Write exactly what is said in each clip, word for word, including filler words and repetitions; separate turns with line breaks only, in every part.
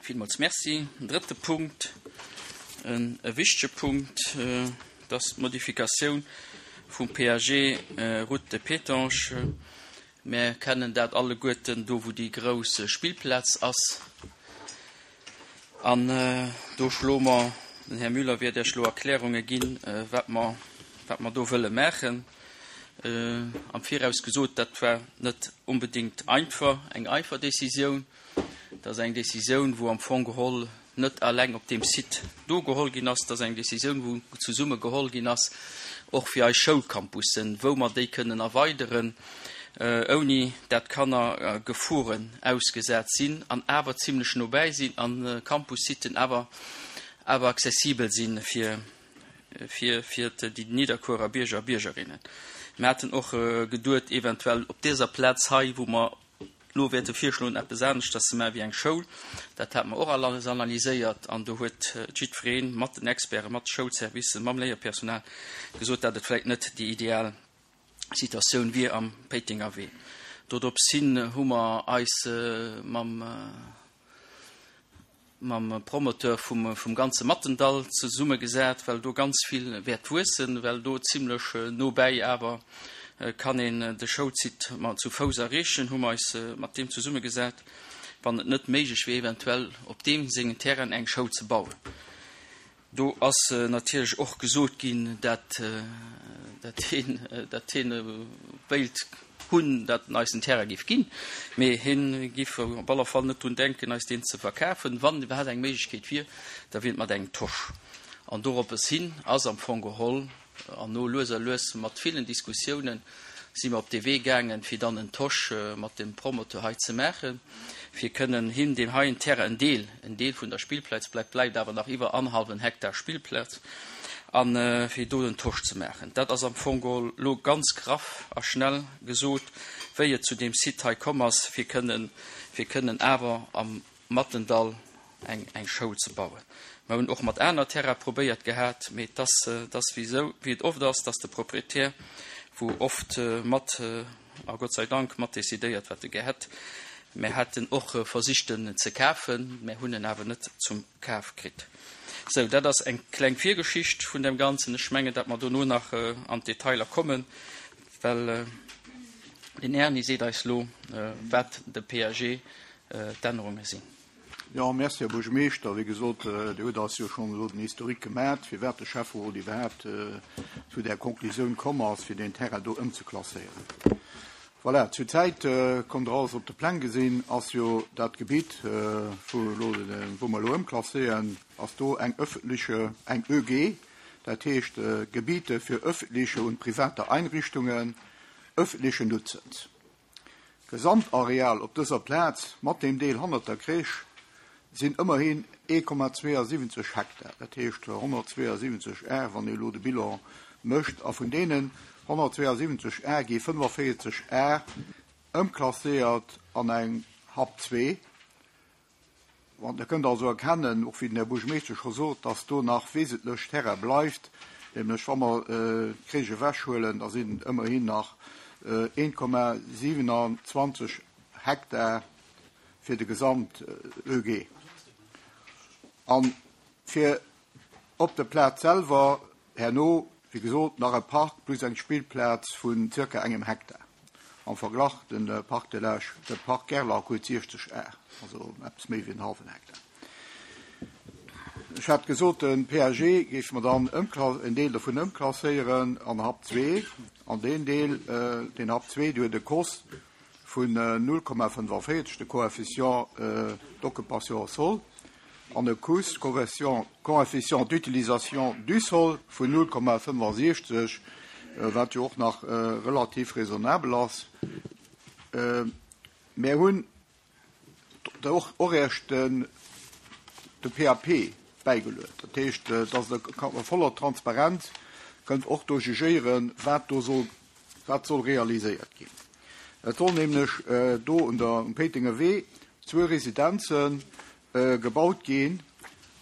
Villmools Merci. En drëtte Punkt, e wichtege Punkt, dat ass d'Modifikatioun vum P A G Route de Pétange. Mir kennen dat alleguerten, do wou déi grouss Spillplaz ass. An do schloe mer, den Här Müller wäert Iech elo Erklärunge ginn, wat mer, wat mer do wëlle maachen. Am Viraus gesot, dat war net onbedéngt einfach, eng einfach Decisioun. Dat ass eng Decisioun, wou am Fong geholl net alleng op deem Site do geholl ginn ass. Dat ass eng Decisioun, wou zesumme geholl ginn ass, och fir eis Schoulcampussen, wou mer déi kënnen erweideren, ouni dat Kanner Geforen ausgesat sinn an awer zimlech nobäi sinn an Campus-Siten awer awer accessibel sinn fir fir fir déi Nidderkuerer Bierger a Biergerinnen. Mir haten och geduet, eventuell op dëser Plaz hei, wou mer elo wäerte virschloen, eppes aneschters ze maachen wéi eng Schoul. Dat hate mer och alles analyséiert an do huet jiddweree mat den Experten, mat de Schoulservicen, mam Léierpersonal gesot, dat et vläicht net déi ideal Situatioun wier am Péitenger Wee. Dorops hin hu mer eis mam mam Promoteur vum, vum ganze Mattendall zesummegesat, well do ganz vill wäert wuessen, well do zimlech nobäi awer kann een de Schoulsite mat zu Fouss erreechen, hu mer eis mat deem zesummegesat, wann et net méiglech wier, eventuell op deem sengen Terrain eng Schoul ze bauen. Do ass natierlech och gesot ginn, dat, dat hien, dat hien wéilt hunn, dat en eis den Terrain giff ginn, mee hien giff op alle Fall net drun denken, eis deen ze verkafen. Wann iwwerhaapt eng Méiglechkeet wier, da wier et mat engem Tosch. An doroppes hin ass am Fong geholl, an no lues a lues mat villen Diskussiounen, si mer op dee Wee gaangen, fir dann en Tosch mat dem Promoteur hei ze maachen, fir kënnen him deen heien Terrain, en Deel, en Deel vun der Spillplaz, bleift bleift awer nach iwwer annerhallwen Hektar Spillplaz, an fir do den Tosch ze maachen. Dat ass am Fong geholl lo ganz graff a schnell gesot, wéi et zu deem Site hei komm ass, fir kënnen, fir kënnen awer am Mattendall eng, eng Schoul ze bauen. Mer hunn och mat aner Terrain probéiert gehat, mee et ass, et ass wéi sou, wéi et oft ass, dass de Proprietär, wou oft mat, a Gott sei Dank, mat decidéiert, wat e gär hätt. Mer haten och versicht en ze kafen, mä hunn en awer net zum Kaf kritt. Sou, dat ass eng kleng Virgeschicht vun dem Ganzen. Ech mengen, datt mer dono nach an d'Detailer kommen, well den Erni seet eis lo, wat de P A G d'Ännerunge sinn.
Jo, merci, Här Buergermeeschter. Wéi gesot, Dir hutt eis jo schonn elo den Historique gemat, firwat de Schäfferot iwwerhaapt zu där Konklusioun komm ass, fir deen Terrain do ëmzeklasséieren. Voilà, zurzäit, konnt Der alles op de Pläng gesinn, ass jo dat Gebitt, wou elo, wou mer elo ëmklasséieren, ass do eng öffentliche, eng Ö G, dat heescht Gebiete für öffentliche und private Einrichtungen öffentlichen Nutzens. D'Gesamtareal op dëser Plaz mat deem Deel hannert der Crèche sinn ëmmerhin ee Komma zwéiansiwwenzeg Hektar, dat heescht honnertzwéiansiwwenzeg Ar, wann ee elo de Bilan mécht. A vun deenen honnertzwéiansiwwenzeg Ar gi fënnefenvéierzeg Ar ëmklasséiert an eng H A P zwee. Wann Der kënnt also erkennen, och wéi den Här Buergermeeschter scho sot, dass do nach wesentlech Terrain bleift, nämlech wa mer d'Crèche ewechhuelen, da sinn ëmmerhin nach ee Komma siewenundzwanzeg Hektar fir de Gesamt Ö G. An fir op der Plaz selwer herno, wéi gesot, nach e Park plus eng Spillplaz vun zirka engem Hektar. Am Verglach, de Parc de l'Age, de Parc Gerlach huet siechzeg Ar, also eppes méi wéi en hallwen Hektar. Ech hat gesot, de P A G géife mer dann en Deel dovun ëmklasséieren an H A P zwee. An deen Deel, deen H A P zwee, dee huet e C O S vun null Komma fënnefenvéierzeg, de Coefficient d'occupation au sol, an e C U S, Coefficient d'utilisation du sol, vun null Komma fënnefensechzeg, wat jo och nach relativ raisonnabel ass. Mir hunn och och eréischt den de P A P bäigeluet. Dat heescht, dass Der a voller Transparenz kënnt och do jugéieren, wat do soll, wat soll realiséiert ginn. Et soll nämlech do un der um Péitenger Wee zwou Residenze gebaut ginn,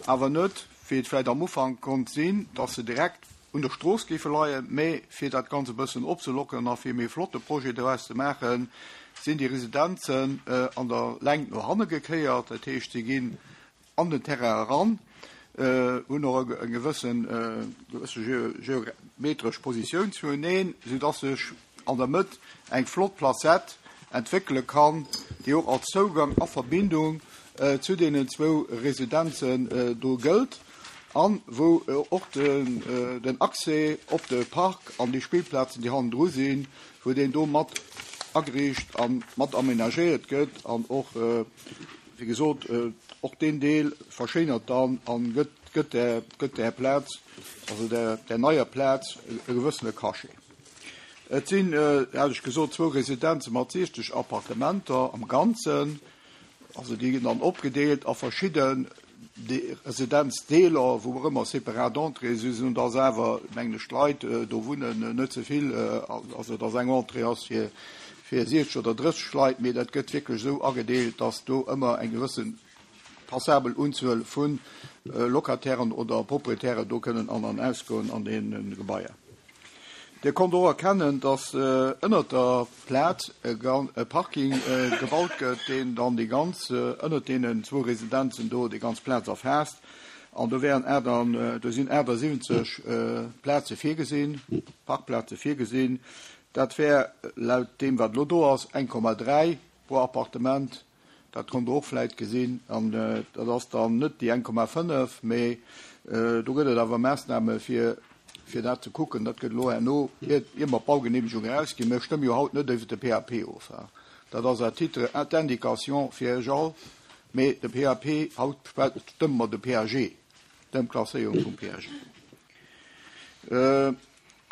awer net, wéi et vläicht am Ufank konnt sinn, dass se direkt un der Strooss géife leien, mä fir dat Ganze e bëssen opzelockeren a fir e méi flotte Projet doraus ze maachen, sinn déi Residenzen an der Längt no hanne gekéiert. Dat heescht, si ginn an den Terrain eran, hunn och eng gewëssen geometresch Positioun zueneen, soudass sech an der Mëtt eng flott Placette entwéckele kann, déi och als Zougang a Verbindung zu deenen zwou Residenzen do gëllt an wou och den Accès op de Park an déi Spillplazen, déi hannendru sinn, wou deen do mat ageriicht a mat amenagéiert gëtt an och, wéi gesot, och deen Deel verschéinert dann a gëtt där, gëtt där Plaz, also där, där neier Plaz e gewëssene Cachet. Et sinn, hat ech gesot, zwou Residenze mat siechzeg Appartementer am Ganzen, also déi ginn dann opgedeelt a verschidden Residenzdeeler, wou och ëmmer separat Entréeë si sinn, dass awer, mengen ech, d'Leit do wunnen net ze vill, also dass eng Entrée ass fir fir siechzeg oder drësseg Leit, mee dat gëtt wierklech esou agedeelt, dass do ëmmer eng gewësse passabel Unzuel vu Locatairen oder Proprietären do kënnen an an ausgoen an deene Gebaier. Dir konnt och erkennen, dass ënnert der Plaz e Parking gebaut gëtt, deen dann déi ganz, ënnert deenen zwou Residenzen do, déi ganz Plaz erfaasst. An do wären do sinn achtasiwwenzeg Plaze virgesinn, Parkplaze virgesinn. Dat wär laut deem, wat elo do ass, eng Komma dräi pro Appartement. Dat konnt Der och vläicht gesinn. An dat ass dann net déi eng Komma fënnef, mee do gëtt et awer Maassname fir, fir dat ze kucken. Dat gëtt elo herno, ier mer d'Baugeneemegung erausginn. Mir stëmme jo haut net iwwert de P A P of. Dat ass à titre d'indication fir Iech all. Mee de P A P, haut stëmme mer de P A G, d'Ëmklasséierung vum P A G.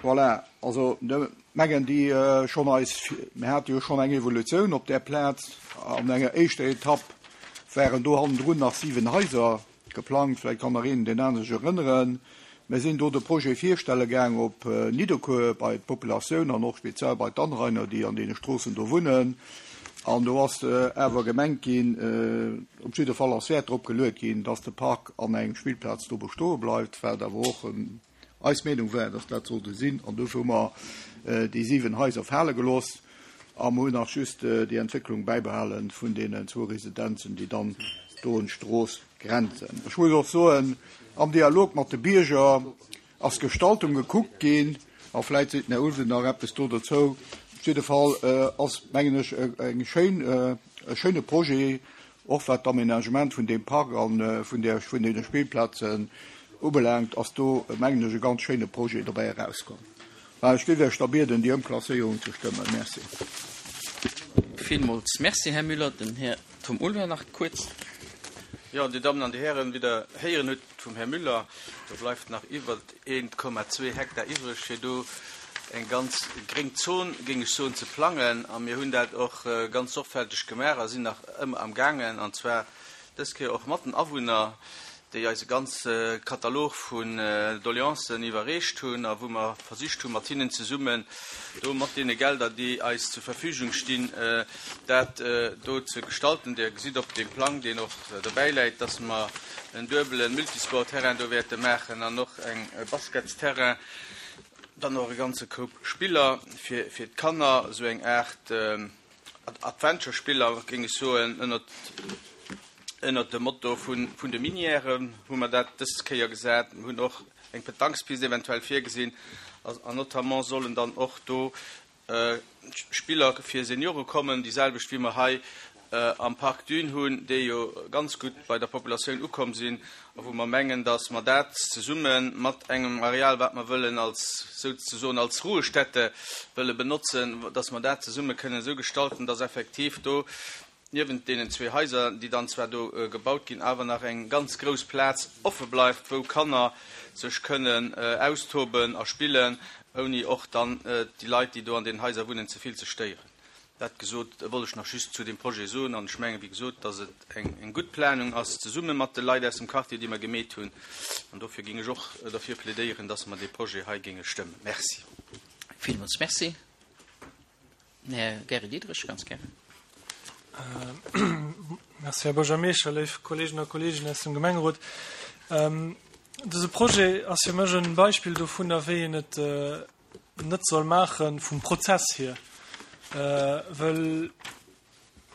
Voilà, also mengen déi schonn eis, mir hate jo schonn eng Evolutioun op där Plaz. An enger éischter Etapp waren do hannendrun nach siwen Haiser geplangt, vläicht kann nach een den anere sech erënneren. Mir sinn do de Projet virstelle gaang op Nidderkuer bei d'Populatioun an och speziell bei d'Anrainer, déi an deene Stroossen do wunnen. An do ass awer gemengt ginn, op jidde Fall ass Wäert drop geluet ginn, dass de Park an eng Spillplaz do bestoe bleift, wat awer och eis Meenung war, dass dat sollte sinn. An dofir hu mer déi siwen Haiser fale gelooss a mer hunn nach just déi Entwécklung bäibehalen vun deenen zwou Residenzen, déi dann do un d'Strooss grenzen. Ech muss och soen, am Dialog mat de Bierger ass d'Gestaltung gekuckt ginn, a vläicht seet den Här Ulven nach eppes do dozou. Op jidde Fall ass, mengen ech, eng schéin, e schéine Projet, och wat d'Aménagement vun deem Park an vun der, vun deene Spillplazen ubelaangt, ass do, mengen ech, e ganz schéine Projet dobäi erauskomm. Ech géif Iech da bieden, déi Ëmklasséierung ze stëmmen. Merci.
Villmools merci, Här Müller. Den Här Tom Ulver nach kuerz.
Ja, Dir Dammen an Dir Hären, wéi Der héieren hutt vum Här Müller, do bleift nach iwwer eent Komma zwee Hektar iwwreg, fir do eng ganz gréng Zon, géing ech soen, ze plangen. A mir hunn dat och ganz sorgfälteg gemaach a sinn nach ëmmer am gaangen, an zwar dës Kéier och mat den Awunner, déi eis e ganze Katalog vun Doleancen iwwerreecht hunn a wou mer versicht hunn, mat hinnen zesummen do mat deene Gelder, déi eis zur Verfügung stinn, dat do ze gestalten. Dir gesitt op deem Plang, deen och dobäi läit, dass mer en duebele Multisportterrain do wäerte maachen an och eng Basketsterrain, dann och e ganze Koup Spiller fir, fir d'Kanner, esou eng Aart Adventure-Spiller, géing ech soen, ënnert ënnert dem Motto vun, vun de Minièren hu mer dat dës Kéier gesat. Mir hunn och eng Pétanquespiste eventuell virgesinn, an notamment sollen dann och do Spiller fir Seniore kommen, déi selwecht wéi mer hei am Parc Dune hunn, déi jo ganz gutt bei der Populatioun ukomm sinn, a wou mer mengen, datt mer dat zesumme mat engem Areal, wat mer wëllen als, souzesoen als Ruhestätte wëlle benotzen, datt mer dat zesumme kënnen esou gestalten, datt effektiv do niewent deenen zwee Haiser, déi dann zwar do gebaut ginn, awer nach eng ganz grouss Plaz offe bleift, wou Kanner sech kënnen austoben a spillen, ouni och dann déi Leit, déi do an den Haiser wunnen, ze vill ze stéieren. Dat gesot, wollt ech nach just zu dem Projet soen, an ech mengen, wéi gesot, datt et eng, eng gutt Planung ass, zesumme mat de Leit aus dem Quartier, déi mer gemeet hunn. An dofir géing ech och derfir plädéieren, datt mer dee Projet hei géinge stëmmen. Merci.
Villmools merci. Här Gary Diderich, ganz gär.
Merci, Här Buergermeeschter, léif Kolleegen a Kolleeginnen aus dem Gemengerot. Dëse Projet ass fir mech en Beispill dovunner, wéi een et net soll maachen vum Prozess hier. Well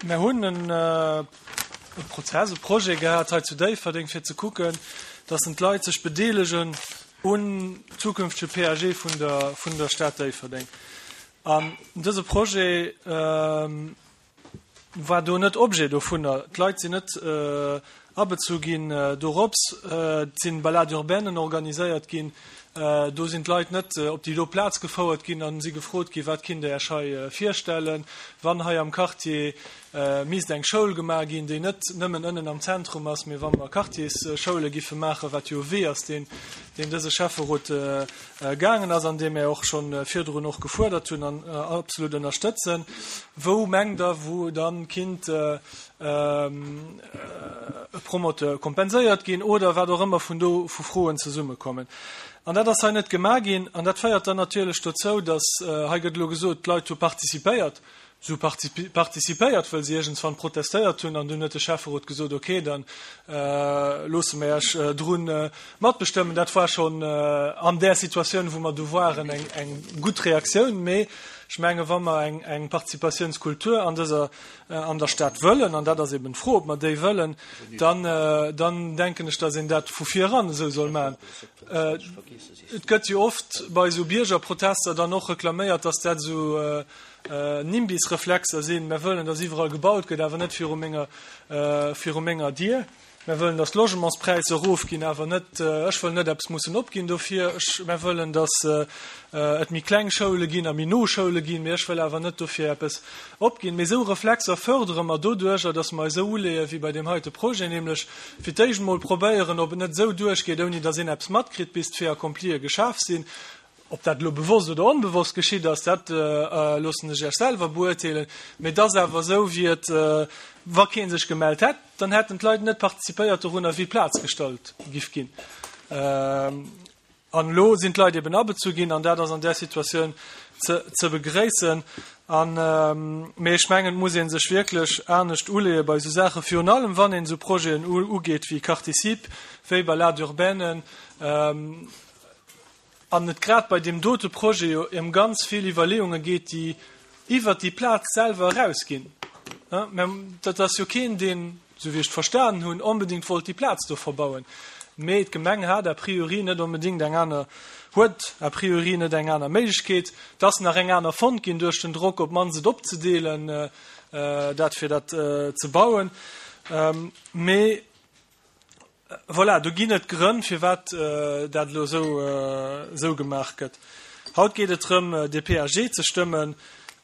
mir hunn en e Prozess, e Projet gehat hei zu Déifferdeng, fir ze kucken, dass d'Leit sech bedeelegen un zukünftege P A G vun der, vun der Stad Déifferdeng. An dëse Projet ähm, war do net Objet dovunner. D'Leit sinn net äh, abezu ginn äh, dorops äh, sinn Balade urbainen organiséiert ginn. Äh, do sinn d'Leit net äh, op déi do Plaz gefouert ginn an si gefrot gi wat kinnt Der Iech hei äh, virstellen, wann hei am Quartier äh, misst eng Schoul gemaach ginn, déi net nëmmen ënnen am Zentrum ass, mee wa mer Quartiersschoule giffe maachen, wat jo Wee ass, deen deen dëse Schäfferot äh, äh, gaangen ass, an deem mir och schonn äh, virdrun och gefuerdert hunn an äh, absolut ënnerstëtzen. Wou mengt Der, wou dann kinnt äh, ähm, äh, Promoteur kompenséiert ginn oder wat och ëmmer vun do vu Froen zesummekommen. An dat ass hei net gemaach ginn an dat féiert dann natierlech dozou, dass äh, hei gëtt lo gesot, d'Leit hu participéiert, sou participéiert, well si iergendwann protestéiert hunn an dunn huet de Schäfferot gesot, okay, dann äh, loosse mir iech äh, drun äh, matbestëmmen. Dat war schonn äh, an där Situatioun, wou mer do waren, eng, eng gutt Reaktioun, mee ech menge wa mer eng, eng Participatiounskultur an dëser äh, an der Stad wëllen, an dat ass eben d'Fro, ob mer déi wëllen, dann, äh, dann denken ech, dass een dat vu viran esou soll maachen. Äh, et gëtt jo oft bei sou Biergerprotester dann och reklaméiert, dass dat sou äh, äh, NIMBY-Reflexer sinn. Mir wëllen, dass iwwerall gebaut gëtt, awer net viru menger, äh, viru menger Dier. Mir wëllen, dass d'Logementspräisser erofginn, awer net, äh, ech wëll net eppes mussen opginn dofir. Ech, mir wëllen, dass äh, et méi kleng Schoule ginn a méi no Schoule ginn, mee ech wëll awer net dofir eppes opginn. Mee sou Reflexer fërdere mer doduerch, dass mer esou uleeë wéi bei deem heite Projet, nämlech fir d'éischt mol probéieren, ob et net esou duerchgeet, ouni dass een eppes matkritt, bis d'Faits accomplië geschaf sinn. Ob dat lo bewosst oder onbewosst geschitt ass, dat äh, loossen ech iech selwer beurteelen. Mee dat ass awer esou, wéi et, äh, wa keen sech gemellt hätt, dann hätten d'Leit net participéiert dorunner, wéi Plaz gestallt giff ginn. Ähm, an lo sinn d'Leit eben abezu ginn an dat ass an der Situatioun ze, ze begréissen. An ähm, mee ech mengen, muss een sech wierklech anescht uleeë bei sou Saache virun allem wann een sou Projeten ugeet wéi Quarticip, wéi Balade urbaine, ähm, an et grad bei deem dote Projet jo ëm ganz vill Iwwerleeunge geet, déi iwwer déi Plaz selwer erausginn. Ja, dat ass jo keen, deen, sou wéi ech verstanen hunn, onbedéngt wollt déi Plaz do verbauen. Mee d'Gemeng hat a priori net onbedéngt eng aner huet a priori net eng aner Méiglechkeet, dass nach eng aner fonnt ginn duerch den Drock op d'mannst et opzedeelen, äh, äh, dat fir dat äh, ze bauen. Ähm, mee voilà, do ginn et Grënn, firwat äh, dat lo sou, äh, sou gemaach gëtt. Haut geet et drëm, äh, de P A G ze stëmmen.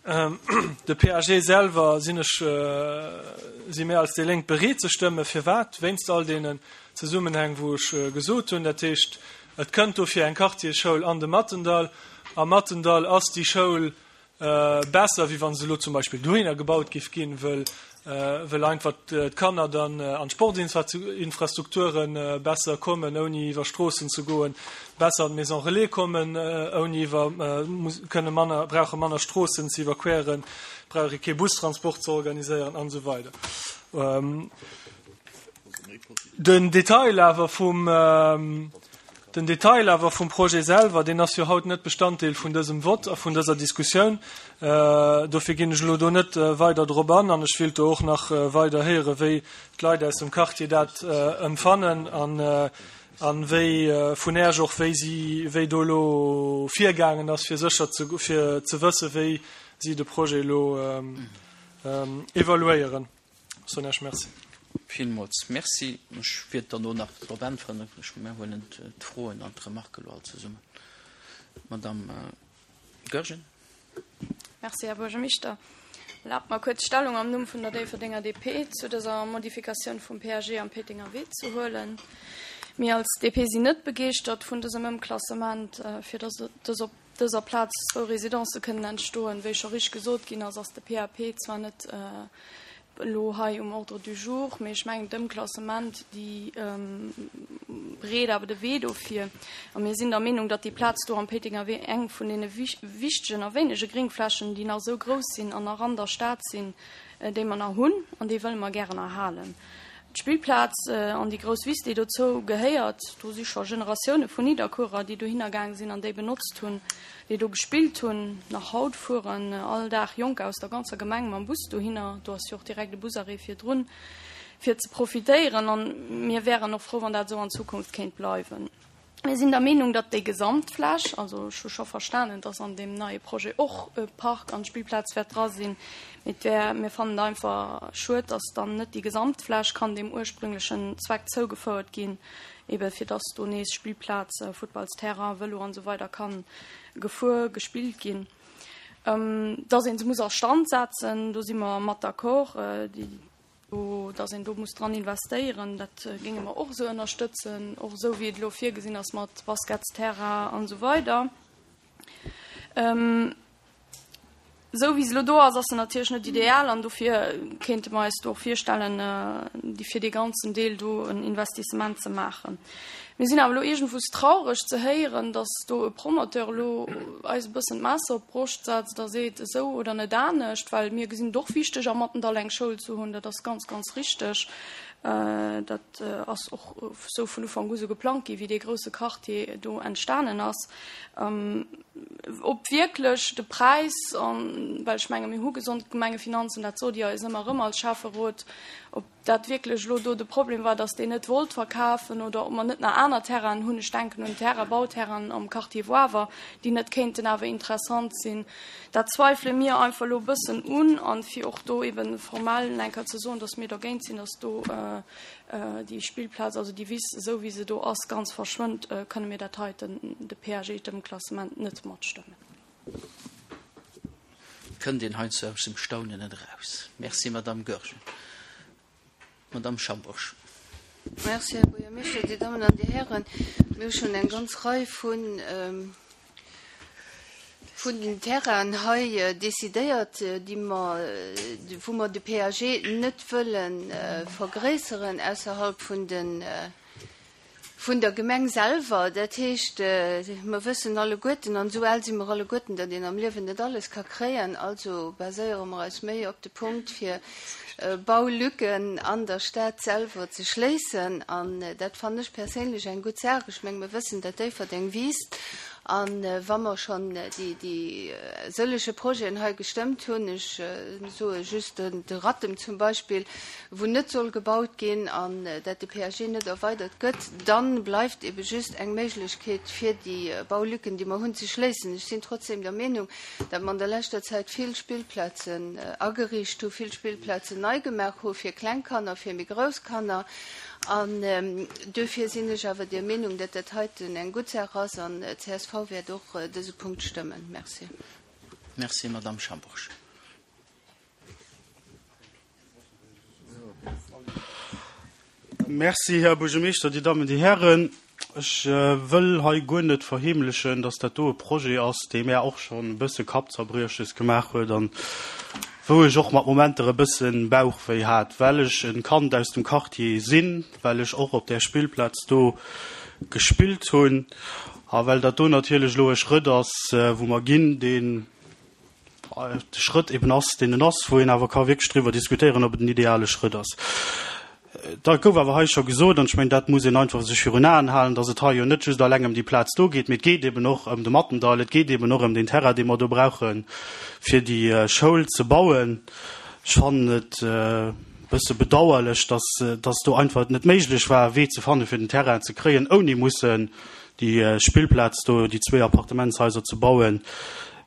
Ähm, de P A G selwer sinn ech äh, si mir als déi Lénk bereet ze stëmmen, firwat wéinst all deenen Zesummenhäng, wou ech äh, gesot hunn, dat heescht, et kënnt dofir eng Quartierschoul an de Mattendall. Am Mattendall ass déi Schoul äh, besser, wéi wann se lo zum Beispill dohinner gebaut giff ginn, well äh, well einfach d'Kanner dann äh, an d'Sportinfrastrukturen äh, besser kommen, ouni iwwer Stroossen ze goen, besser an d'Maison Relais kommen, äh, ouni iwwer äh, muss, kënne manner, brauche manner Stroossen ze iwwerqueren, brauche kee Bustransport ze organiséieren an esou weider. Ähm, den Detail awer vum ähm, den Detail awer vum Projet selwer, deen ass jo haut net Bestanddeel vun dësem Vott a vun dëser Diskussioun. Äh, dofir ginn ech lo do net äh, weider drop an an ech wëll do och nach äh, weider héiere, wéi d'Leit aus dem Quartier dat äh, empfannen an äh, an wéi äh, vun Iech och wéi si wéi do lo virgaangen ass fir sécher ze fir ze wësse wéi si de Projet lo ähm, ähm, evaluéieren. Soen ech Merci.
Villmools Merci. Ech wäert dann och nach drop äntweren. Ech mir huelen d'Froen an d'Remarke lo all zesummen. Madame äh, Goergen.
Merci, Här Buergermeeschter. Erlaabt mer kuerz Stellung am Numm vun der Déifferdenger D P zu dëser Modifikatioun vum P A G am Péitenger Wee ze huelen. Mir als D P sinn net begeeschtert vun dësem Ëmklassement, äh, fir dass dës op dëser Plaz zwou Residencë kënnen entstoen. Wéi scho richteg gesot ginn ass, ass de P A P zwar net äh, lo hei um Ordre du jour, mee ech mengen d'Ëmklassement déi ähm, bereet awer de Wee dofir. A mir sinn der Meenung, datt déi Plaz do am Péitenger Wee eng vun deene wichtegen a wéinege Gréngflächen, déi nach sou grouss sinn an nach an der Stad sinn, äh, déi mer nach hunn an déi wëlle mer gären erhalen. D'Spillplaz äh, an déi grouss Wiss, déi dozou gehéiert, do si scho Generatioune vun Nidderkuerer, déi dohinner gaang sinn an déi benotzt hunn, déi do gespillt hunn, nach haut fueren äh, all Dag Jonker aus der ganzer Gemeng mam Bus dohinner, do ass jo och direkt de Busarrêt virdrun. fir ze profitéieren an mir wären och frou, wann dat esou an Zukunft kéint bleiwen. Mir sinn der Meenung, datt déi Gesamtfläch, also ech hu scho verstanen, datt an deem neie Projet och e Park an Spillplaz wäert dra sinn, mee et wär, mir fannen et einfach schued, datt dann net déi Gesamtfläch kann deem ursprünglechen Zweck zougefouert ginn, ebe fir datt do nees Spillplaz, Futtballsterrain, Vëlo an esou weider kann gefuer, gespillt ginn. Datt ee se muss a Stand setzen, do si mer mat d'accord. Déi Dass een do muss dran investéieren, dat géinge mer och esou ënnerstëtzen, och esou wéi et elo virgesinn ass mat Basketsterrain an esou weider. Esou wéi se elo do ass, ass se natierlech net ideal an dofir kéinte mer eis do och virstellen, déi fir dee ganzen Deel do en Investissement ze maachen. Mir sinn awer elo iergendwous traureg ze héieren, dass do e Promoteur elo eis e bëssen d'Messer op d'Broscht setzt a seet, esou oder net anescht, well mir gesinn et och wichteg, am Mattendahl eng Schoul ze hunn. Dat ass ganz, ganz richteg. Dat ass och esou vun Ufank u sou geplangt ginn, wéi dee grouse Quartier do entstanen ass. Ob wierklech de Präis, well ech menge mir hu gesond Gemengefinanzen, dat sot Dir eis ëmmer erëm als Schäfferot, ob dat wierklech elo do de Problem war, dass deen net wollt verkafen oder ob mer net nach aner Terrainen hunn, ech denken un Terrain, Bauterrainen am Quartier Woawer, déi net kéinten awer interessant sinn, dat zweifele mir einfach elo e bëssen un. A fir och do eebe formell eng Kéier ze soen, dass mir dergéint sinn, dass do déi Spillplaz, also déi Wiss, esou wéi se do ass, ganz verschwënnt, kënne mir dat heiten, de P A G, d'Ëmklassement, net matstëmmen.
Kënnt een heiansdo aus dem Staunen net eraus. Merci, Madame Goergen. Madame Schambourg.
Merci, Här Buergermeeschter, Dir Dammen an Dir Hären. Mir hu schonn eng ganz Rei vun, vun den Terrainen hei decidéiert, déi mer, wou mer de P A G net wëlle vergréisseren ausserhalb vun den, vun der Gemeng selwer. Dat heescht, mer wëssen alleguerten, an esou al si mer alleguerten, datt een am Liewen net alles ka kréien. Also baséiere mer eis méi op de Punkt, fir Baulücken an der Stad selwer ze schléissen. An dat fannen ech perséinlech eng gutt Saach. Ech menge mer wëssen, datt Déifferdeng wiisst. An wa mer schonn déi, déi sëllege Projeten hei gestëmmt hunn, ech soe just de Rattem zum Beispill, wou net soll gebaut ginn an dat de P A G net erweidert gëtt, dann bleift ebe just eng Méiglechkeet fir déi Baulücken, déi mer hunn, ze schléissen. Ech sinn trotzdem der Meenung, datt mer an der leschter Zäit vill Spillplazen ageriicht hu, vill Spillplazen nei gemaach hu fir kleng Kanner, fir méi grouss Kanner. An duerfir sinn ech awer der Meenung, datt dat heiten eng gutt Saach ass an d'C S V wäert och dëse Punkt stëmmen. Merci.
Merci, Madame Schambourg.
Merci, Här Buergermeeschter, Dir Dammen, Dir Hären. Ech wëll hei guer net verheemlechen, datt dat do e Projet ass, dee mär och schonn e bësse Kappzerbrieches gemaach huet an wou ech och mat Momenter e bësse Bauchwéi hat, well ech e Kand aus dem Quartier sinn, well ech och op där Spillplaz do gespillt hunn a well dat do natierlech elo e Schrëtt ass, wou mer ginn, deen de Schrëtt eben ass, deen en ass, wou een awer ka wierklech driwwer diskutéieren, ob et den ideale Schrëtt ass. Dat gouf awer hei scho gesot, an ech mengen, dat muss een einfach sech virun Aen halen, datt et hei jo net just alleng ëm déi Plaz do geet, mee et geet eben och ëm de Mattendall, et geet eben och ëm deen Terrain, dee mer do brauchen, fir déi Schoul ze bauen. Ech fannen et e bësse bedauerlech, datt, datt do einfach et net méiglech war, e Wee ze fannen, fir den Terrain ze kréien, ouni mussen déi Spillplaz do, déi zwee Appartementshaiser ze bauen.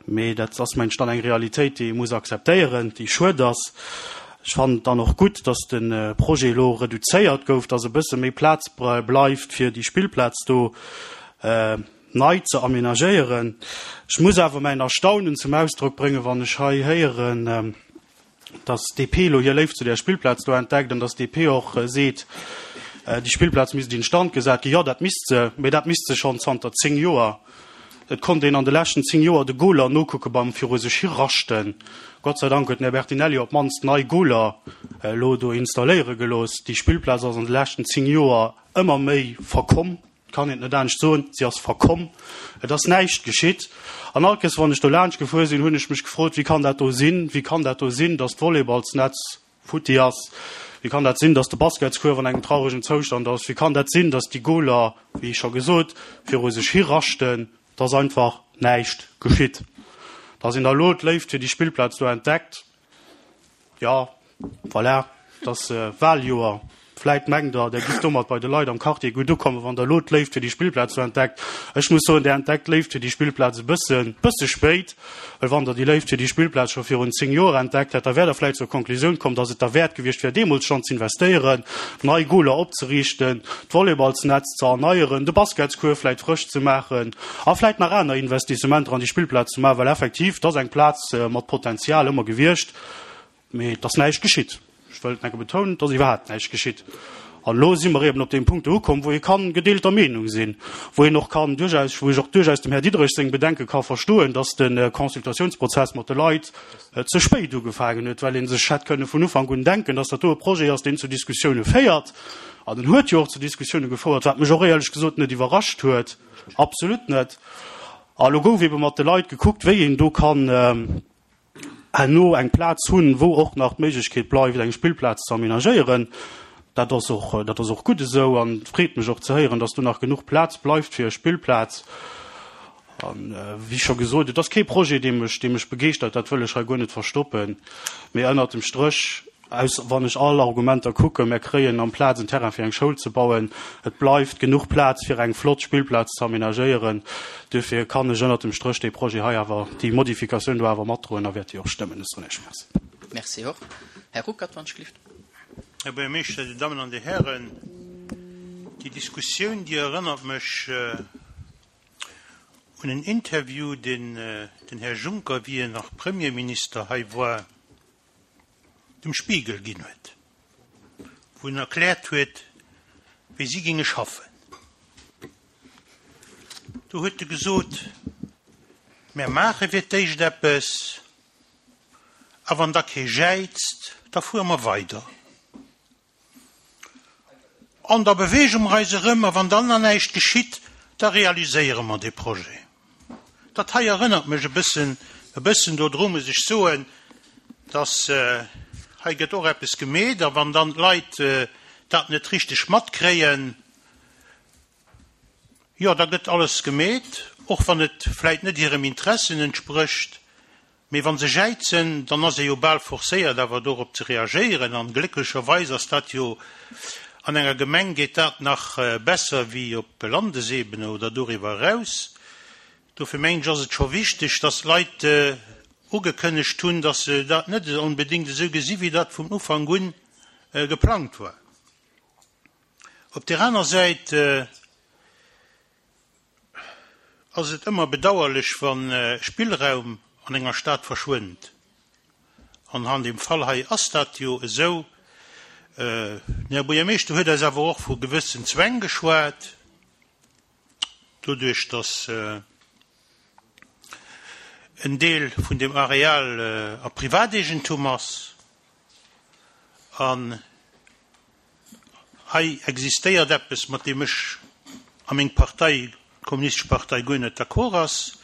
Mee dat ass, mengen ech, dann eng Realitéit, déi ee muss akzeptéieren, déi schued ass. Ech fannen et dann och gutt, datt de Projet elo reduzéiert gouf, datt e bësse méi Plaz bleift, fir déi Spillplaz do nei ze amenagéieren. Ech muss awer mäin Erstaunen zum Ausdrock bréngen, wann ech hei héieren, datt d'D P elo hir Léift zu där Spillplaz do entdeckt an datt d'D P och seet, déi Spillplaz misst instand gesat ginn. Jo, dat misst se, mee dat misst se schonn zanter zéng Joer. Et konnt een an de leschten zéng Joer de Goler nokucke beim viru sech hi raschten. Gott sei Dank huet den Här Bertinelli op d'mannst nei Goler elo do installéiere gelooss. Déi Spillplaz ass an de leschten zéng Joer ëmmer méi verkomm. Et kann een et net anescht soen, si ass verkomm. Et ass näischt geschitt. An all Kéiers, wann ech do laanscht gefuer sinn, hunn ech mech gefrot, Wéi kann dat do sinn? Wéi kann dat do sinn, datt d'Volleyballsnetz futti ass? Wéi kann dat sinn, datt de Basketskuerf an engem trauregen Zoustand ass? Wéi kann dat sinn, datt déi Goler, wéi scho gesot, viru sech hi raschten? Et ass einfach näischt geschitt. Datt een da elo d'Léift fir déi Spillplaz do entdeckt, jo, voilà. Et ass Wahljoer. Vläit mengt Der, Der giff domat bei de Leit am Quartier gutt ukommen, wann Der elo d'Léift fir déi Spillplaz do entdeckt. Ech muss soen, Der entdeckt d'Léift fir déi Spillplaz e bëssen, bësse spéit, well wann Der déi Léift fir déi Spillplaz scho virun zéng Joer entdeckt hätt, da wäert Der vläit zur Konklusioun komm, dass et derwäert gewiescht wär, deemools schonn z'investéieren, nei Goler opzeriichten, d'Volleyballsnetz ze erneieren, de Basketscourt vläit frësch ze maachen a vläit nach aner Investissementer an déi Spillplaz ze maachen, well effektiv, et ass eng Plaz mat Potenzial ëmmer gewiescht, mee et ass näischt geschitt. Ech wëll et nach eng Kéier betounen, et ass iwwerhaapt näischt geschitt. An elo si mer eben op deem Punkt do ukomm, wou ee ka gedeelter Meenung sinn, wou een och kann duerchaus, wou ech och duerchaus dem Här Diderich seng Bedenke ka verstoen, dass de Consultatiounsprozess mat de Leit ze spéit ugefaangen huet, well ee sech hätt kënne vun Ufank un denken, dass dat do e Projet ass, deen zu Diskussioune féiert. An en huet jo och zu Diskussioune gefouert, wat mech och éierlech gesot net iwwerrascht huet, absolut net. A elo gouf ebe mat de Leit gekuckt, wéi een do kann herno eng Plaz hunn, wou och nach d'Méiglechkeet bleift, eng Spillplaz ze aménagéieren. Dat ass och, dat ass och gutt esou an et freet mech och ze héieren, dass do nach genuch Plaz bleift fir e Spillplaz. An, wéi scho gesot, et ass kee Projet, dee mech, dee mech begeeschtert, dat wëll ech hei guer net verstoppen. Mee ënnert dem Stréch, aus, wann ech all Argumenter kucken, mär kréien amplaz en Terrain fir eng Schoul ze bauen, et bleift genuch Plaz fir eng flott Spillplaz ze aménagéieren. Duerfir kann ech ënnert dem Stréch dee Projet hei awer, déi Modifikatioun do awer matdroen a wäert déi och stëmmen. Ech soen Iech Merci.
Merci och. Här Ruckert, wann ech gelift.
Här Buergermeeschter, Dir Dammen an Dir Hären, déi Diskussioun, déi erënnert mech un en Interview, deen den Här Juncker, wéi en nach Premierminister hei war, dem Spiegel ginn huet, wou en erkläert huet, wéi si géinge schaffen. Do huet e gesot, Mär maache fir d'éischt eppes, a wann da kee jäizt, da fuere mer weider. An da beweege mer eis erëm, a wann dann nach näischt geschitt, da realiséiere mer dee Projet. Dat hei erënnert mech e bëssen, e bëssen dodru, muss ech soen, dass hei gëtt och eppes gemeet, a wann dann d'Leit dat net richteg matkréien, jo, da gëtt alles gemeet, och wann et vläit net hirem Interessen entsprécht. Mee wa se jäizen, dann ass ee jo bal forcéiert, awer dorop ze reagéieren. An glécklecherweis ass dat jo an enger Gemeng geet dat nach besser wéi op Landesebene oder doriwwer eraus. Dofir mengen ech, ass et scho wichteg, dass d'Leit ugekënnegt hunn, dass se dat net onbedéngt esou gesi wéi dat vun Ufank un geplangt war. Op där aner Säit ass et ëmmer bedauerlech, wa Spillraum an enger Stad verschwënnt. An an deem Fall hei ass dat jo esou. Den Här Buergermeeschter huet eis awer och vu gewëssen Zwäng geschwat, doduerch datt en Deel vun deem Areal a Privateegentum ass. An hei existéiert eppes, mat deem ech a meng Partei, d'Kommunistesch Partei, guer net d'accord ass,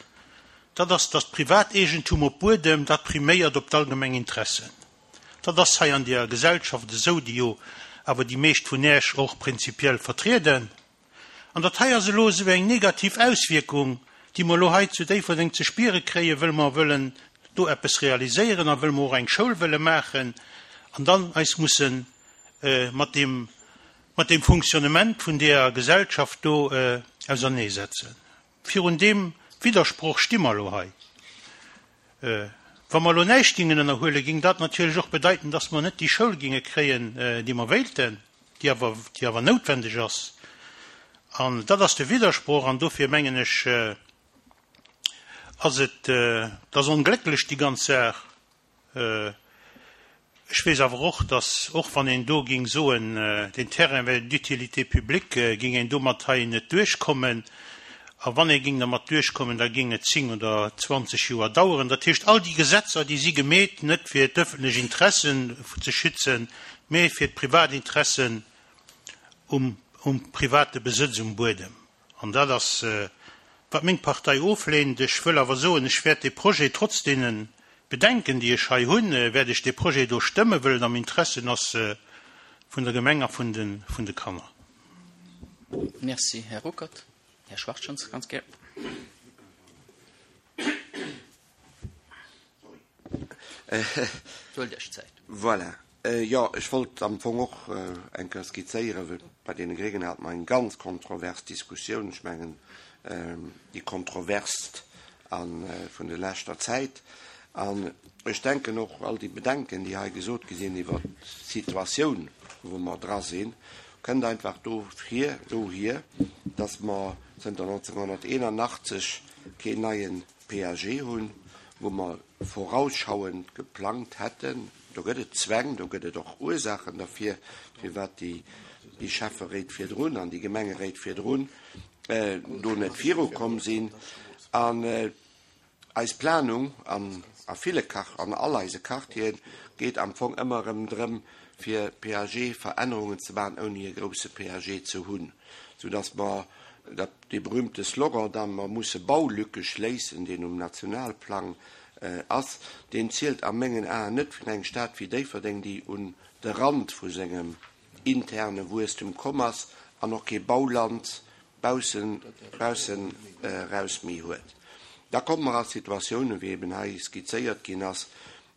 dat ass, datt d'Privateegentum op Buedem, dat priméiert op d'allgemeng Interessen. Dat ass hei an deer Gesellschaft esou, déi jo awer déi meescht vun Äech och prinzipiell vertrieden. An dat hei ass elo esou eng negativ Auswierkung, déi mer elo hei zu Déifferdeng ze spiere kréien, wëll mer wëllen do eppes realiséieren a wëll mer och eng Schoul wëlle maachen an dann eis musse mat deem, mat deem Fonctionnement vun deeër Gesellschaft do auserneesetzen. Virun deem Widdersproch sti mer elo hei. Wa mer elo näischt gingen ënnerhuelen, ging dat natierlech och bedeiten, dass mer net déi Schoul ginge kréien, déi mer wéilten, déi awer, déi awer noutwendeg ass. An dat ass de Widdersproch an dofir mengen ech, ass et, et ass onglécklech déi ganz Saach. Ech weess awer och, datt och wann een do ging soen, deen Terrain wär d'utilité publique, ging een domat hei net duerchkommen. A wann ee ging dermat duerchkommen, da ging et zéng oder zwanzeg Joer daueren. Dat heescht, all déi Gesetzer, déi si gemeet, net fir d'ëffentlech Interessen ze schützen, mee fir d'Privatinteressen um, um private Besëtz um Buedem. An dat ass, wat meng Partei ofleent. Ech wëll awer soen, ech wäert dee Projet trotz deene Bedenken, déi ech hei hunn, wäert ech dee Projet do stëmmen, wëll et am Interessen ass vun der Gemeng a vun de, vun de Kanner.
Merci, Här Ruckert. Här Schwachtschans, ganz gär. Huelt Iech Zäit.
Voilà. Jo, ech wollt am Fong och eng Kéier skizzéieren, well bei deene Gréngen hate mer eng ganz kontrovers Diskussioun, ech mengen déi kontroverst a vun der leschter Zäit. An ech denken och all déi Bedenken, déi hei gesot gi sinn iwwert d'Situatioun, wou mer dra sinn, kënnt einfach dofir, dohier, dass mer zënter neunzehnhunderteinundachtzig keen neie P A G hunn, wou mer vorausschauend geplangt hätten. Do gëtt et Zwäng, do gëtt et och Ursachen dafir, firwat déi, déi Schäfferéit virdrun an déi Gemengeréit virdrun do net virukomm sinn. An eis Planung an a ville Quart-, an all eise Quartieren geet am Fong ëmmer erëm drëm, fir P A G-Verännerungen ze maachen, ouni e grousse P A G ze hunn, soudass mer dat, dee berühmte Slogan, da mer musse Baulücke schléissen, deen um Nationalplang ass, deen zielt a mengen Aen net fir eng Stad wéi Déifferdeng, déi un de Rand vu sengem interne Wuesstum komm ass an och kee Bauland baussen, baussen raus méi huet. Da komme mer a Situatiounen, wéi eben hei skizzéiert ginn ass,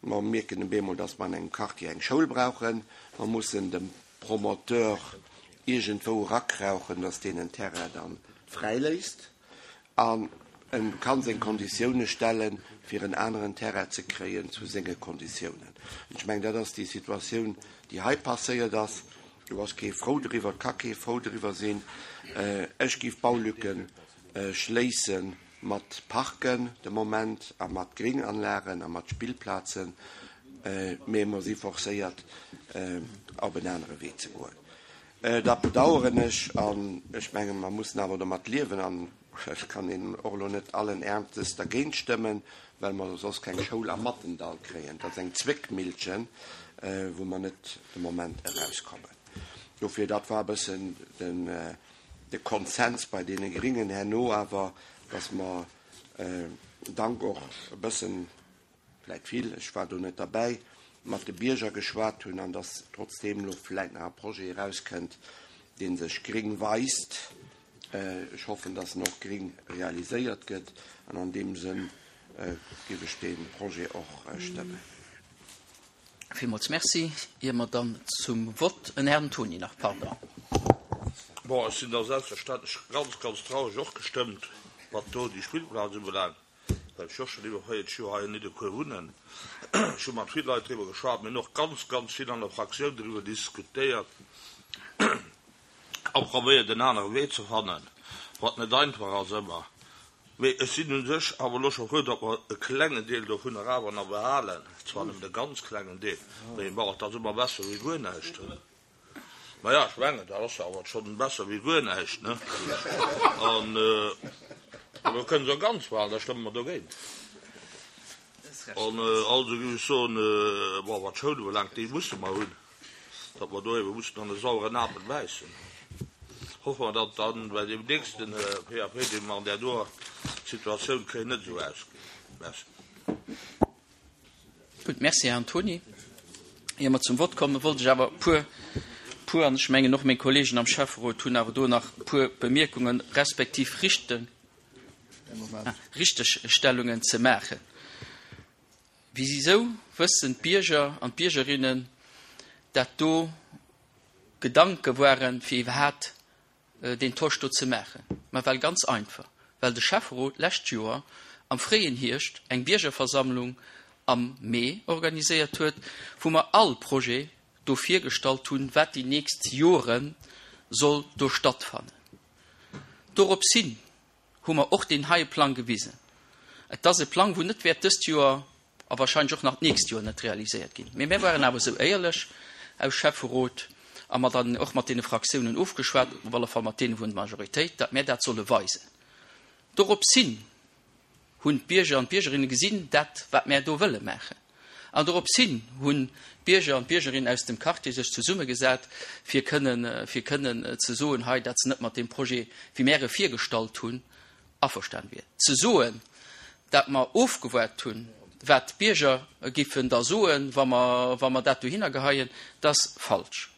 mer mierken op eemol, dass mer an engem Quartier eng Schoul brauchen, mer mussen dem Promoteur irgendwo rakrauchen, dass deen en Terrain dann fräiléisst an en kann seng Konditiounen stellen, fir en aneren Terrain ze kréien zu senge Konditiounen. Und ich meine, dat ass déi Situatioun, déi hei passéiert ass. Du ass kee frou driwwer, ka kee frou driwwer sinn. Ech giff Baulücken schléissen mat Parken de Moment a mat Gringanlagen a mat Spillplazen, mee mer si forcéiert, op en anere Wee ze goen. Dat bedauern ech an ech menge mer mussen awer domat liewen an ech kann een och lo net allen Ernstes dergéint stëmmen, well mer soss keng Schoul am Mattendall kréien. Dat ass eng Zwéckmillchen, wou mer net de Moment erauskommen. Dofir, dat war e bëssen den, de Konsens bei deene Gringen herno, awer dass mer dank och e bëssen, vläicht vill, ech war do net dabei, mat de Bierger geschwat hunn an dass trotzdem lo vläicht nach e Projet erauskënnt, deen sech gring weist. Ech hoffen, dass en och gring realiséiert gëtt an an dem Sënn géif ech den Projet och stëmmen.
Villmools merci. Ier mer dann zum Vott en Herrn Toni nach, pardon.
Bon, ech sinn da selbstverständlech ganz, ganz traurig och gestëmmt, wat do déi Spillplaz ubelaangt, well ech och schon iwwer véierzeg Joer hei in Nidderkuer wunnen. Ech hu mat vill Leit driwwer geschwat, mir hunn och ganz, ganz vill an der Fraktioun driwwer diskutéiert a probéiert, en anere Wee ze fannen, wat net einfach ass ëmmer. Mee ech sinn un sech awer lo scho frou, datt mer e klengen Deel dovunner awer nach behalen, zwar nëmmen e ganz klengen Deel, mee bon, dat ass ëmmer besser wéi guer näischt. Ma ja, ech mengen, dat ass awer schon besser wéi guer näischt, ne? An do kënnen se ganz behalen, da stëmme mer dogéint. An also géif ech soen, bon, wat d'Schoul ubelaangt, déi musse mer hunn, datt mer do ebe mussen an de saueren Apel bäissen. Hoffen wir, datt dann bei dem nächsten P A P, dee mer an där doer Situatioun kréien, net esou ausgeet. Merci.
Gut, merci, Herr Antoni. Ier mer zum Vott kommen, wollt ech awer puer, puer, an ech mengen och meng Kollegen am Schäfferot hunn awer do nach puer Bemierkungen respektiv Richten, Richtegstellungen ze maachen. Wieso wëssen d'Bierger an d'Biergerinnen, dat do Gedanke waren, fir iwwerhaapt den Tosch do ze maachen? Ma well ganz einfach, well de Schäfferot lescht Joer am fréien Hierscht eng Biergerversammlung am Mee organiséiert huet, wou mer all Projet do virgestallt hunn, wat déi nächst Jore soll do stattfannen. Dorops hin hu mer och den heie Plang gewisen. Et ass e Plang, wou net wäert dëst Joer a wahrscheinlich och nach d'nächst Joer net realiséiert ginn. Mee mir waren awer sou éierlech aus Schäfferot a mer dann och mat deene Fraktiounen ofgeschwat, op alle Fall mat deene vun der Majoritéit, dat mir dat solle weisen. Dorops hin hunn d'Bierger an d'Biergerinne gesinn, dat, wat mir do wëlle maachen. An dorops hin hunn d'Bierger an d'Biergerinnen aus dem Quartier sech zesummegesat, fir kënnen, fir kënnen ze soen, hei, dat se net mat dem Projet, wéi mir e virgestallt hunn, averstanden wier. Ze soen, dat mer ofgewaart hunn, wat d'Bierger giffen da soen, wa mer, wa mer dat dohinner geheien, dat ass falsch.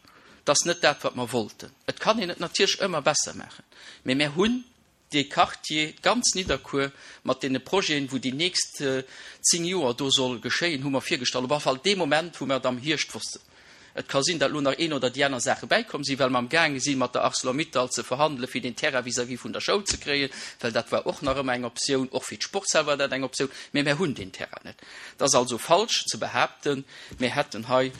Dat ass net dat, wat mer wollten. Et kann een et natierlech ëmmer besser maachen. Mee mir hunn de Quartier ganz Nidderkuer mat deene Projeten, wou déi nächst zéng Joer do soll geschéien, hu mer virgestallt. Op alle Fall dee Moment, wou mer et am Hierscht wossten. Et ka sinn, datt elo nach een oder déi aner Saache bäikomm sinn, well mer amgaange si mat der Arcelor-Mittal ze verhandele fir deen Terrain vis-à-vis vun der Schoul ze kréien, well dat war och nach ëmmer eng Optioun, och fir d'Sportshal war dat eng Optioun, mä mär hunn deen Terrain net. Et ass also falsch ze behaapten, mär hätten hei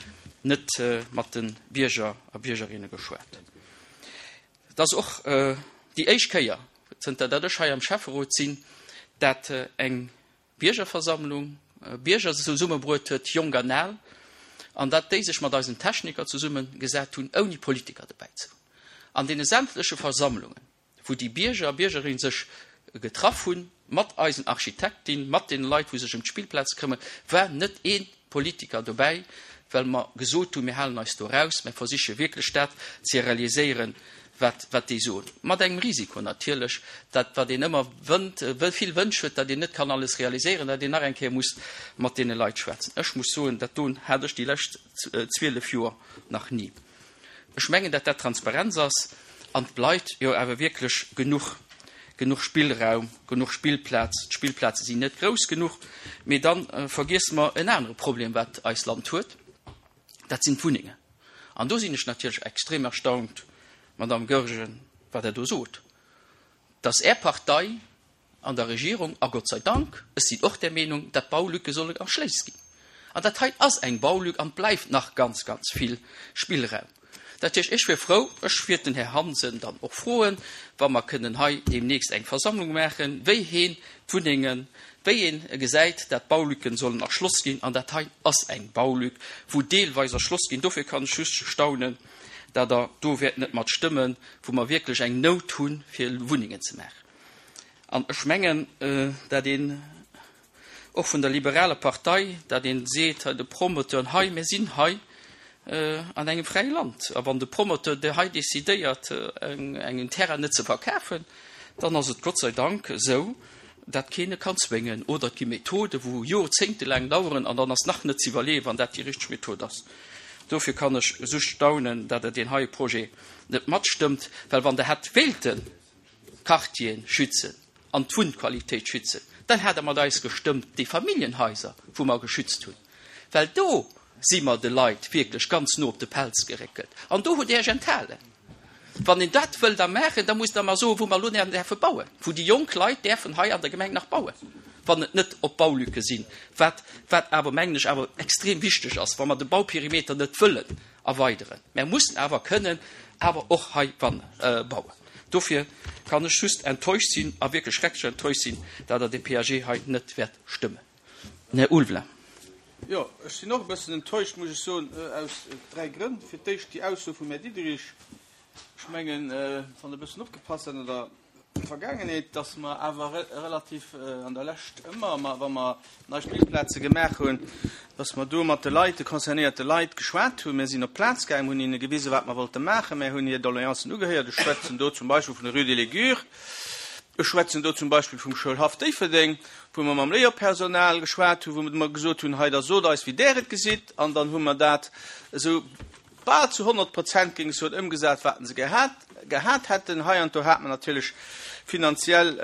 net mat de Bierger a Biergerinne geschwat. Et ass och déi éischt Kéier, zënter dat ech hei am Schäfferot sinn, dat eng Biergerversammlung Bierger zesummebruet huet, jonk an al, an dat déi sech mat eisen Techniker zesummegesat hunn, ouni Politiker dobäi ze hunn. An deene sämtleche Versammlungen, wou déi Bierger a Biergerinne sech getraff hunn, mat eisen Architektin, mat deene Leit, wou sech ëm d'Spillplaze këmmen, war net ee Politiker dobäi, well mer gesot hunn, mir halen eis do eraus, mir versiche wierklech dat ze realiséieren, wat, wat déi soen. Mat engem Risiko natierlech, dat wat een ëmmer wënnt, vill Wënsch huet, datt een net kann alles realiséieren, datt een nach eng Kéier muss mat deene Leit schwätzen. Ech muss soen, dat doen hat ech déi lescht zwielef Joer nach ni. Ech mengen, datt dat Transparenz ass an et bleift jo awer wierklech genuch, genuch Spillraum, genuch Spillplaz. D'Spillplaze sinn net grouss genuch. Mee da vergiesse mer en anere Problem, wat eist Land huet, dat sinn d'Wunnengen. An do sinn ech natierlech extrem erstaunt, Madame Goergen, wat Der do sot, dass Är Partei an der Regierung, a Gott sei Dank, ech sinn och där Meenung, dat d'Baulücke solle erschléisst ginn. An dat hei ass eng Baulück an et bleift nach ganz, ganz vill Spillraum. Dat heescht, ech wier frou, ech wiert den Här Hansen dann och froen, wa mer kënnen hei deemnächst eng Versammlung maachen, wéi heen d'Wunnengen, wéi een gesäit, dat d'Baulücken sollen erschloss ginn. An dat hei ass eng Baulück, wou deelweis erschloss ginn. Dofir kann ech just staunen, dat Der do wäert net mat stëmmen, wou mer wierklech eng Nout hunn, fir Wunnengen ze maachen. An ech mengen, dat een och vun der liberaler Partei, dat een seet, hei de Promoteuren, hei, mir sinn hei an engem fräie Land, a wann de Promoteur de hei decidéiert, engem Terrain net ze verkafen, dann ass et Gott sei Dank esou, dat keen e kann zwéngen. Oder et gi Methoden, wou jorzéngtelaang daueren, an dann ass nach net ze iwwerleeën, wann dat déi richteg Method ass. Dofir kann ech just staunen, dat Der deen heie Projet net matstëmmt, well wann Der hätt wéilten d'Quartieren schützen an d'Wunnqualitéit schützen, dann hätt Der mat eis gestëmmt déi Familljenhaiser, wou mer geschützt hunn, well do si mer de Leit wierklech ganz no op de Pelz geréckelt an do hutt Der Iech enthalen. Wann een dat wëll da maachen, da muss Der mer soen, wou mer elo däerfe bauen, wou déi jonk Leit däerfen hei an der Gemeng nach bauen, wann et net op Baulücke sinn, wat, wat awer, mengen ech, awer extrem wichteg ass, wa mer de Bauperimeter net wëllen erweideren. Mer mussen awer kënnen awer och hei bauen. Dofir kann ech just enttäuscht sinn a wierklech schrecklech enttäuscht sinn, datt Der dee P A G hei net wäert stëmmen. Här Ulveling.
Jo, ech sinn och e bëssen enttäuscht, muss ech soen, aus dräi Grënn. Fir d'éischt déi Ausso vum Här Diderich. Ech mengen, wann Der e bëssen opgepasst hutt an der Vergaangenheet, dass mer awer relativ an der Lescht ëmmer, wa mer nei Spillplaze gemaach hunn, dass mer do mat de Leit, de concernéierte Leit geschwat hunn. Mir sinn op d'Plaz gaangen, hunn hinne gewisen, wat mer wollte maachen. Mir hunn hir Doleancen ugehéiert. Ech schwätzen do zum Beispill vun der Rue de l'Aigure. Ech schwätzen do zum Beispill vum Schoulhaff Déifferdeng, wou mer mam Léierpersonal geschwat hunn, wou mer gesot hunn, hei, da sot eis, wéi där et gesitt. An dann hu mer dat esou bal zu honnert Prozent, géing ech soen, ëmgesat, wat se gehat, gehat hätten. Hei an do hat mer natierlech finanziell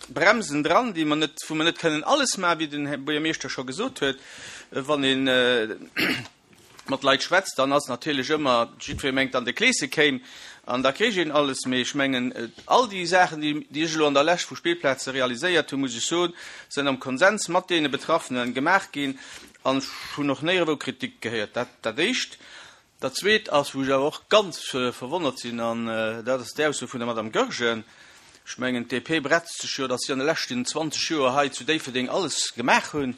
Bremsen dran, déi mer net, wou mer net kënnen alles maachen, wéi den Här Buergermeeschter scho gesot huet. Wann ee mat Leit schwätzt, dann ass natierlech ëmmer, jiddweree mengt dann, de Kleese kéim an da kréich een alles. Mee ech mengen, all déi Saachen, déi, déi ech elo an der Lescht vu Spillplaze realiséiert hunn, muss ech soen, sinn am Konsens mat deene Betraffene gemaach ginn an ech hunn och néierewou Kritik gehéiert. Dat, dat Éischt. Dat Zweet ass, wou ech awer och ganz verwonnert sinn, an dat ass déi Ausso vun der Madame Goergen. Ech mengen, d'D P bretzt sech jo, datt si an de leschten zwanzeg Joer hei zu Déifferdeng alles gemaach hunn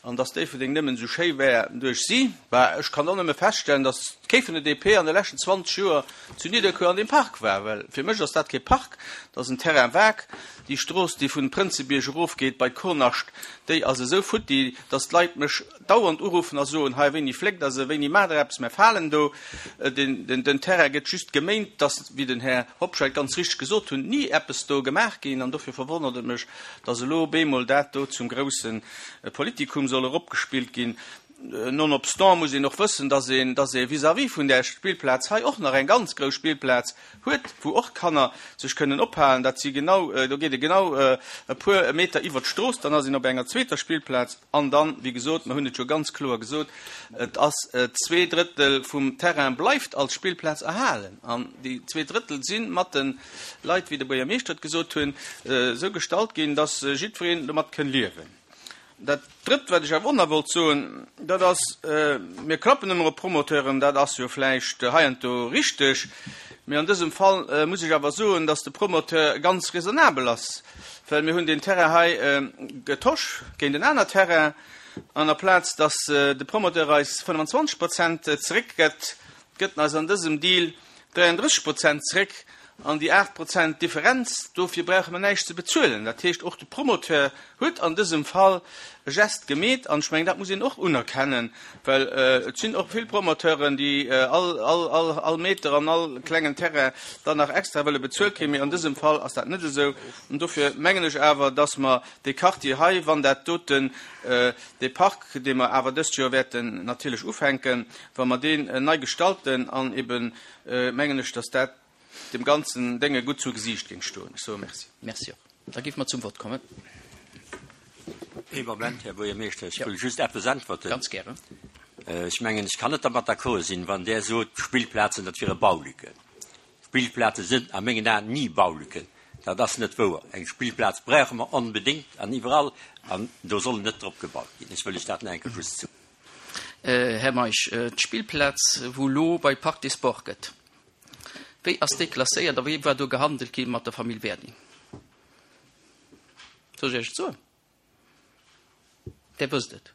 an datt Déifferdeng nëmmen esou schéi wär duerch si. Bah, ech kann och nëmme feststellen, datt kee vun der D P an de leschten zwanzeg Joer zu Nidderkuer an deem Park war, well fir mech ass dat kee Park, dat ass en Terrain vague. Déi Strooss, déi vun Prënzebierg erofgeet bei d'Kornascht, déi ass esou futti, datt d'Leit mech dauernd uruffen a soen, hei, wéini fléckt Der se, wéini maacht Der eppes, mir falen do. Den, den, den Terrain gëtt just geméint, datt, wéi den Här Hobscheit ganz richteg gesot hunn, ni eppes do gemaach ginn. An dofir verwonnert et mech, datt elo bemol dat do zum grousse Politikum soll eropgespillt ginn. Nonobstant muss een och wëssen, dass een, dass ee vis-à-vis vun där Spillplaz hei och nach eng ganz grouss Spillplaz huet, wou och Kanner sech kënnen ophalen. Dat si genau, do geet ee genau e puer Meter iwwert d'Strooss, dann ass een op enger zweeter Spillplaz. An dann, wéi gesot, mer hunn et jo ganz kloer gesot, et ass zwee Drëttel vum Terrain bleift als Spillplaz erhalen. An déi zwee Drëttel si mat de Leit, wéi de Buergermeeschter et gesot hunn, esou gestalt ginn, dass jiddwereen domat kënn liewen. Dat Drëtt, wat ech awer och nach wollt soen, dat ass, mir klappen ëmmer op Promoteuren, dat ass jo vläicht heiansdo richteg, mee an dësem Fall muss ech awer soen, dass de Promoteur ganz raisonnabel ass, well mir hunn deen Terrain hei getosch géint en aner Terrain, an aplaz dass de Promoteur eis fënnwanzwanzeg Prozent zeréckgëtt, gëtt en eis an dësem Deal dräianddrësseg Prozent zeréck. An déi aacht Prozent Differenz, dofir brauche mer näischt ze bezuelen. Dat heescht, och de Promoteur huet an dësem Fall e Gest gemeet. An ech mengen, dat muss een och unerkennen, well et sinn och vill Promoteuren, déi all, all, all, all Meter an all klengen Terrain dann nach extra wëlle bezuelt kréien. Mee an dësem Fall ass dat net esou. An dofir mengen ech awer, dass mer dee Quartier hei, wann dat doten, dee Park, dee mer awer dëst Joer wäerten natierlech ufänken, wa mer deen nei gestalten an eben, mengen ech, dass dat dem ganzen Dénge gutt zu Gesiicht géing stoen. Ech soe Merci.
Merci och. Da géife mer zum Vott kommen.
Ee Moment, Här Buergermeeschter, ech wëll just eppes äntwerten.
Ganz gären.
Ech mengen, ech kann net dermat d'accord sinn, wann Der sot, d'Spillplazen, dat wiere Baulücken. Spillplaze sinn a mengen Aen ni Baulücken. Dat ass net wouer. Eng Spillplaz brauche mer onbedéngt an iwwerall, an do soll net drop gebaut ginn. Ech wëll lech dat nach eng Kéier just soen.
Här Meisch, d'Spillplaz, wou elo bei Parc des Sports gëtt, wéi ass déi klasséiert a wéi war do gehandelt gi mat der Famill Werding? Soll ech Iech et soen? Där wësst et.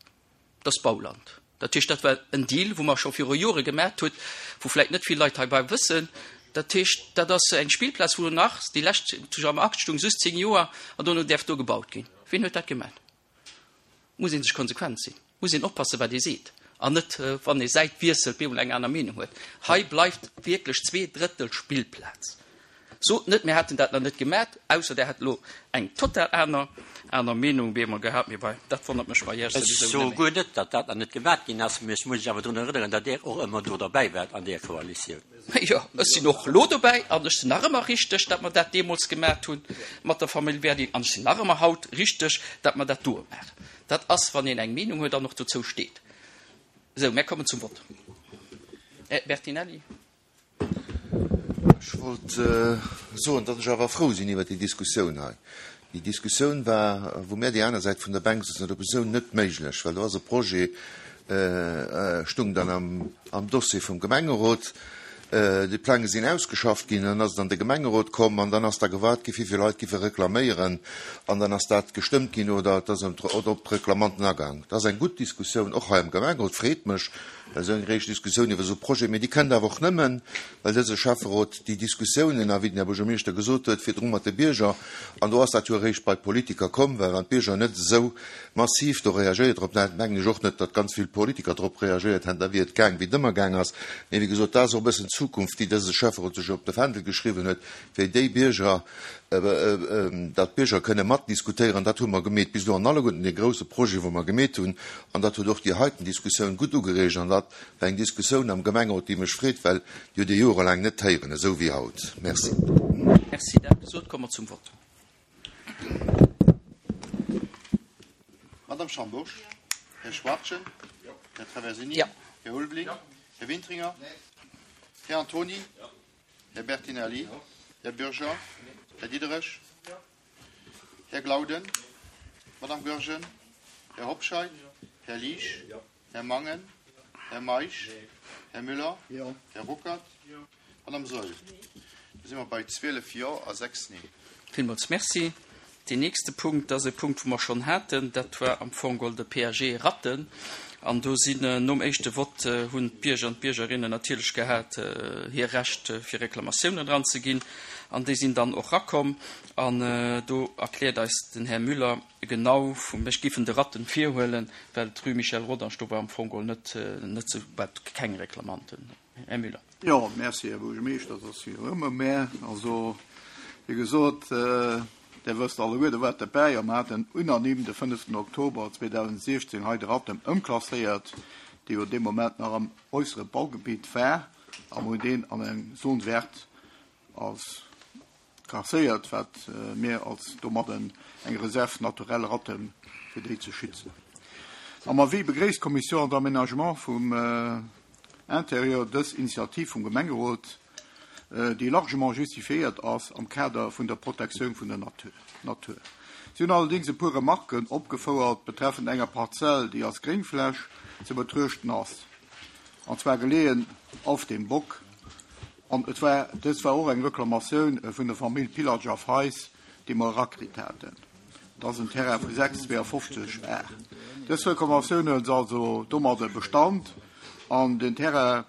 Dat ass Bauland. Dat heescht, dat war en Deal, wou mer scho viru Jore gemaat hutt, wou vläicht net vill Leit heibei wëssen. Dat heescht, dat ass eng Spillplaz, wou nach déi lescht, zu am Akt stung just zéng Joer an dono däerf do gebaut ginn. Wien huet dat gemaat? Muss ee sech konsequent sinn, muss een oppassen, wat ee seet, an net, wann ee Säit wiesselt, bemol eng aner Meenung huet. Hei bleift wierklech zwee Drëttel Spillplaz. Sot net, mir hätten dat nach net gemat, ausser Der hätt elo eng total aner aner Meenung bemol gehat. Mee bei, dat wonnert mech bei Iech
Ech
souwisou
soe
net méi.
guer net, datt dat nach net gemat ginn ass, mee ech muss lech awer drun erënneren, datt Der och ëmmer do derbäi waart an där Koalitioun.
Jo, ech sinn och elo dobäi an ech sinn nach ëmmer richteg, datt mer dat deemools gemat hunn mat der Famill Werding an ech sinn nach ëmmer haut richteg, datt mer dat doe maachen. Dat ass, wann een eng Meenung huet an och dozou steet. Esou, mär kommen zum Vott. Här Bertinelli.
Ech wollt soen, datt ech awer frou sinn iwwert déi Diskussioun hei. Déi Diskussioun war, wou mär déi aner Säit vun der Bänk souzen, op esou net méiglech, well do ass e Projet, stung dann am Dossier vum Gemengerot, déi Plänge sinn ausgeschafft ginn, dann ass et an de Gemengerot komm an dann ass da gewaart gi wéi vill Leit giffe reklaméieren an dann ass dat gestëmmt ginn oder et ass op d'Reklamanten agaang. Dat ass eng gutt Diskussioun, och hei am Gemengerot, freet mech, esou eng réischt Diskussioun iwwer esou Projet, mee déi kënnt awer och nëmmen, well dëse Schäfferot déi Diskussiounen, a wéi den Här Buergermeeschter gesot huet, virdru mat de Bierger, an do ass dat jo eréischt bei d'Politiker komm, well wann d'Bierger net esou massiv do reagéiert drop hätten, mengen ech och net, datt ganz vill Politiker drop reagéiert hätten, da wier et gaang, wéi et ëmmer gaang ass. Mee wéi gesot, dat ass och e bëssen d'Zukunft, déi dëse Schäfferot sech op de Fändel geschriwwen huet, fir déi Bierger, datt d'Bierger kënne matdiskutéieren. Dat hu mer gemeet bis elo an alleguerten de grouse Projete, wou mer gemeet hunn. An dat huet och déi heiten Diskussioun gutt ugereegt. An dat war eng Diskussioun am Gemengerot, déi mech freet, well déi huet ee jorelaang net héieren, esou wéi haut. Merci.
Merci. Dat gesot, komme mer zum Vott.
Madame Schambourg? Här Schwachtgen? Här Traversini? Här Ulveling? Här Wintringer? Här Antoni? Här Bertinelli? Här Bürger? Här Diderich? Här Glauden? Madame Goergen? Här Hobscheit? Här Liesch? Här Mangen? Här Meisch? Här Müller? Här Ruckert? Madame Saeul? Da si mer bei zwielef Jo a sechs Nee.
Villmools Merci. Deen nächste Punkt ass e Punkt, wou mer schonn haten. Dat war am Fong geholl de P A G Ratten. An do sinn nom éischte Vott hunn d'Bierger an d'Biergerinnen natierlech gehat hir Recht fir Reklamatiounen eranzeginn. An déi sinn dann och rakomm. An do erkläert eis den Här Müller genau, vu ech giffen de Ratten virhuelen, well d'Rue Michel Rodange do war am Fong geholl net net sou wat keng Reklamanten. Här Müller.
Jo, merci, Här Buergermeeschter, dat ass jo ëmmer mä. Also, wéi gesot, Der wësst alleguer, Der waart derbäi, a mer haten unanime de fënneften Oktober zweedausendsechzehn hei de Rattem ëmklasséiert, dee jo dee Moment nach am äussere Baugebitt war, a mer hunn deen an eng Zone verte als klasséiert, wat mir als domadden eng Réserve naturelle Rattem fir déi ze schützen. Am Avis begréisst d'Commission d'aménagement vum Intérieur dës Initiativ vum Gemengerot, déi largement justifiéiert ass am Kader vun der Protektioun vun der Natur. Si hunn allerdéngs e puer Remarken opgefouert betreffend enger Parzell, déi als Gréngfläch ze betruechten ass, an zwar geleeën auf dem Bock. An et war, dës war och eng Reklamatioun vun der Famill Pillager-Feis, déi mer erakritt haten. Dat ass en Terrain vu sechs zweeënfofzeg Ar. Dës Reklamatioun huet also domadder Bestand an den Terrain,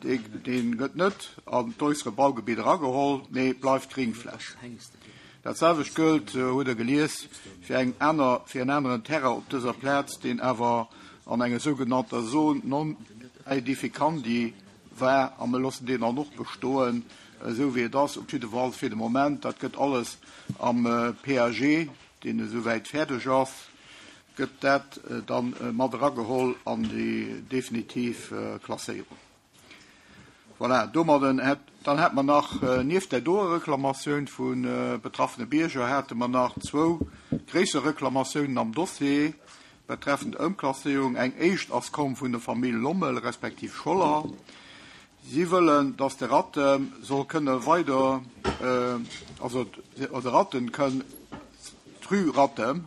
dee gëtt net an d'äussere Baugebitt erageholl, mee bleift Gréngfläch. Dat selwecht gëllt, hutt Der gelies, fir eng aner, fir en aneren Terrain op dëser Plaz, deen awer an enger sougenannter Zone non aedificandi war, a mir loossen deen dann och bestoen, esou wéi et ass, op jidde Fall fir de Moment. Dat gëtt alles am P A G, deen esouwäit fäerdeg ass, gëtt dat dann mat erageholl an déi definitiv Klasséierung. Voilà, domadden hätt, dann hätt man nach, nieft der doer Reklamatioun vu betraffene Bierger, hätte man nach zwou gréisser Reklamatiounen am Dossier betreffend Ëmklasséierung. Eng éischt ass komm vun der Famill Lommel respektiv Scholler. Si wëllen, dass de Rattem soll kënne weider, also de Rattem kënn d'Rue Rattem,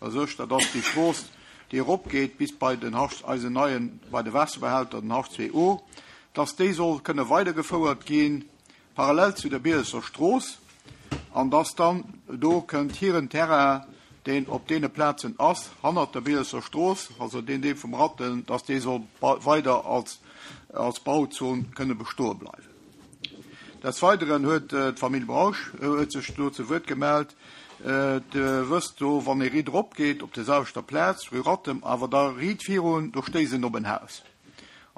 also dat ass déi Strooss, déi eropgeet bis bei den Hasch, eisen neien, bei de Waasserbehälter, den Hasch zwee O, dass déi soll kënne weidergefouert ginn, parallel zu der Bielesser Strooss, an dass dann do kënnt hiren Terrain, deen op deene Plazen ass, hannert der Bielesser Strooss, also deen Deel vum Rattem, dass dee soll weider als, als Bauzon kënne bestoe bleiwen. Des Weiteren huet d'Famill Brausch huet sech do zu Wuert gemellt. De wësst do, wann ee riit eropgeet op der selwechter Plaz, rue Rattem, awer da riit virun, do stéisst en op en Haus.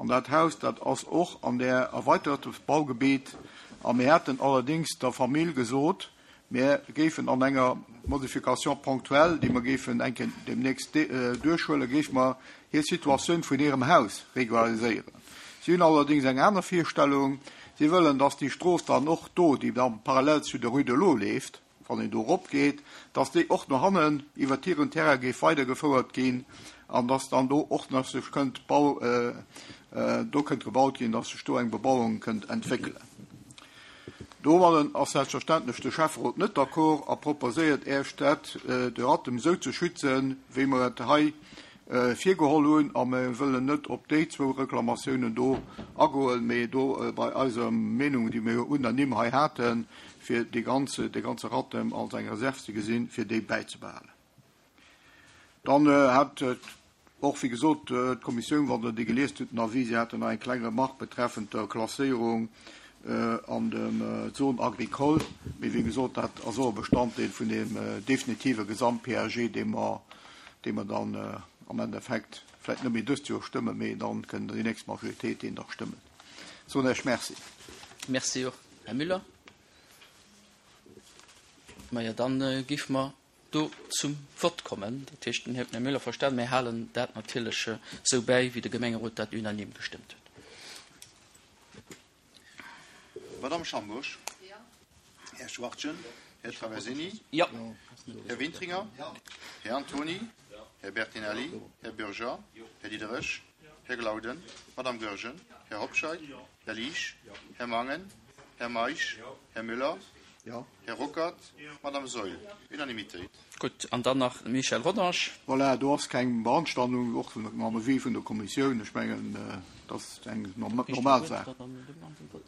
An dat Haus, dat ass och an der erweiterte Baugebiet. A mir hätten allerdings der Famill gesot, mir géifen an enger Modification ponctuelle, déi mer géifen eng Kéier demnächst duerchhuelen, géife mer hir Situatioun vun hirem Haus regulariséieren. Si hunn allerdings eng aner Virstellung. Si wëllen, dass déi Strooss dann och do, déi dann parallel zu der Rue de l'Eau leeft, wann een do eropgeet, dass déi och no hannen iwwer hiren Terrain géif weidergefouert ginn an dass dann do och nach sech kënnt Bau, äh, äh, do kënnt gebaut ginn, dass sech do eng Bebauung kënnt entwéckelen. Domadden ass selbstverständlech de Schäfferot net d'accord a proposéiert erst dat, äh, de Rattem sou ze schützen, wéi mer et hei, äh, virgeholl hunn, a mir wëllen net op déi zwou Reklamatiounen do agoen, mee do, äh, bei eiser Meenung, déi mir unanime hei haten, fir déi ganze, de ganze Rattem als eng Reserve ze gesinn, fir déi bäizebehalen. Dann, äh, hat, äh, och, wéi gesot, äh, d'Kommissioun, wann der déi geliest hutt, den Avis, si haten nach eng kleng Remarque betreffend der Klasséierung, äh, an dem, äh, Zone agricole, mee wéi gesot, dat ass och e Bestanddeel vun dem, äh, definitive Gesamt-P A G, dee mer, dee mer dann, äh, am Endeffekt vläicht net méi dëst Joer stëmmen, mee dann kënnen déi nächst Majoritéit deen dach stëmmen. So, Herr merci.
Merci och, Herr Müller. Ma ja, dann, äh, géif mer do zum Wort kommen. Dat heescht, den Herr Müller verstanden, mir halen dat natierlech, äh, sou bäi, wéi de Gemengerot dat unanim gestëmmt huet.
Madame Schambusch?
Ja.
Herr Schwartjen? Herr Traversini?
Ja.
Herr Wintringer?
Ja.
Herr Antoni? Herr Bertinelli? Herr Bürger? Herr Diderich? Herr Glauden? Madame Goergen? Herr Hobscheid? Herr Liesch? Herr Mangen? Herr Meisch? Herr Müller?
Ja.
Herr Ruckert? Madame Seul? Unanimitéit.
Gutt, an dann nach Michel Rodange.
Voilà, do ass keng Beanstandung, och mam Avis vun der Kommissioun. Ech mengen, äh, dat ass eng norm-, normal Saach.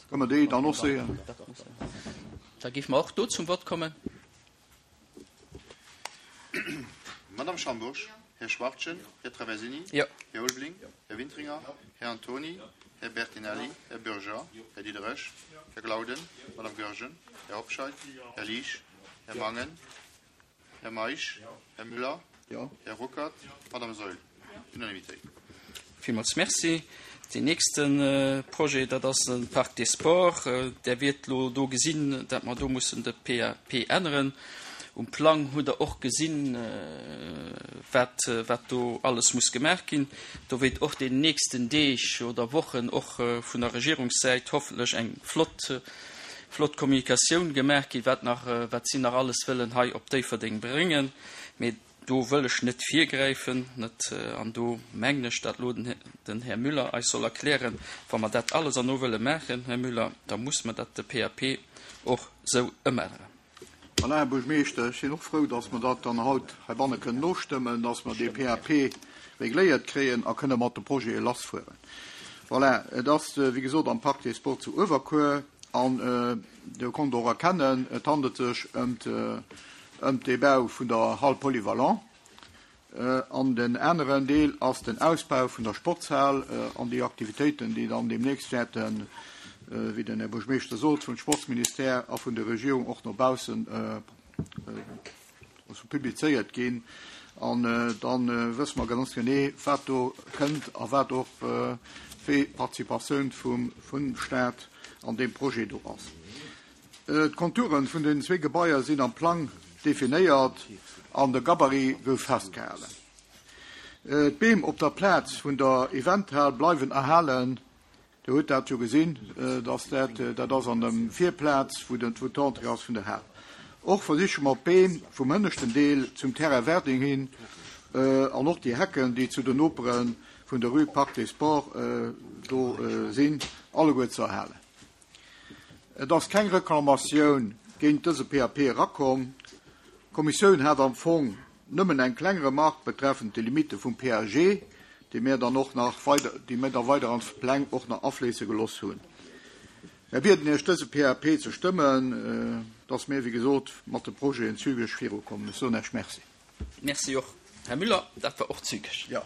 Können wir déi dann och sehen?
Da géif mer och do zum Wort kommen.
Madame Schambusch, Herr Schwartjen, Herr Traversini,
Ja.
Herr Ulbling, Herr Wintringer, Herr Antoni, Herr Bertinelli, Herr Bürger, Herr Diderich, Herr Glauden, Madame Goergen, Herr Hobscheid, Herr Liesch, Herr Mangen, Herr Meisch, Herr Müller,
Ja.
Herr Ruckert, Madame Seul. Unanimitéit.
Villmools merci. Den nächsten, äh, Projet, dat ass den Parc des Sports. Äh, der wird lo do gesinn, dat mer do mussen de P A P änneren. Um Plang hutt Der och gesinn, wat, wat do alles muss gemaach ginn. Do wéilt och den nächsten Deeg oder Wochen och vun der Regierungssäit hoffentlech eng flott, flott Kommunikatioun gemaach ginn, wat nach, wat si nach alles wëllen hei op Déifferdeng bréngen. Mee do wëll ech net virgräifen, net, an do mengen ech, dat elo den, den Här Müller eis soll erklären, wa mer dat alles erno wëlle maachen, Här Müller, da muss mer dat de P A P och sou ëmänneren.
Voilà, Här Buergermeeschter, ech sinn och frou, dass mer dat dann haut heibanne kënnen nostëmmen, dass mer dee P A P regléiert kréien a kënne mat de Projete lassfueren. Voilà, et ass, wéi gesot, am Parc des Sports zu Uewerkuer an Dir konnt och erkennen, et handelt sech ëm ëm de Bau vun der Hall polyvalent. An den aneren Deel ass den Ausbau vun der Sportshal an déi Aktivitéiten, déi dann deemnächst wäerten, wéi den Här Buergermeeschter sot, vum Sportsministère a vun der Regierung och no baussen publizéiert ginn. An dann wësse mer ganz genee, wat do kënnt a wat och wéi Participatioun vum vum Staat an deem Projet do ass. D'Konturen vun den zwee Gebaier sinn am Plang definéiert an de Gabarit gouf festgehalen. D'Beem op der Plaz vun der Eventhal bleiwen erhalen. Dir hutt dat jo gesinn, dass dat dat ass an dem Virplaz, wou den wou d'Entrée ass vun der Hal. Och versiche mer d'Beem vum hënneschten Deel zum Terrain Werding hin an och déi Hecken, déi zu den Nopere vun der Rue Parc des Sports do sinn, alleguer ze erhalen. Et ass keng Reklamatioun géint dëse P A P erakomm. D'Kommissioun hat am Fong nëmmen eng kleng Remarque betreffend de Limite vum P A G, déi mir dann och nach weider, déi mir da weider an d'Pläng och nach afléisse gelooss hunn. Mir bieden Iech dëse P A P ze stëmmen, dass mir, wéi gesot, mat de Projeten zügeg virukommen. Ech soen Iech Merci.
Merci och, Här Müller, dat war och zügeg.
Ja.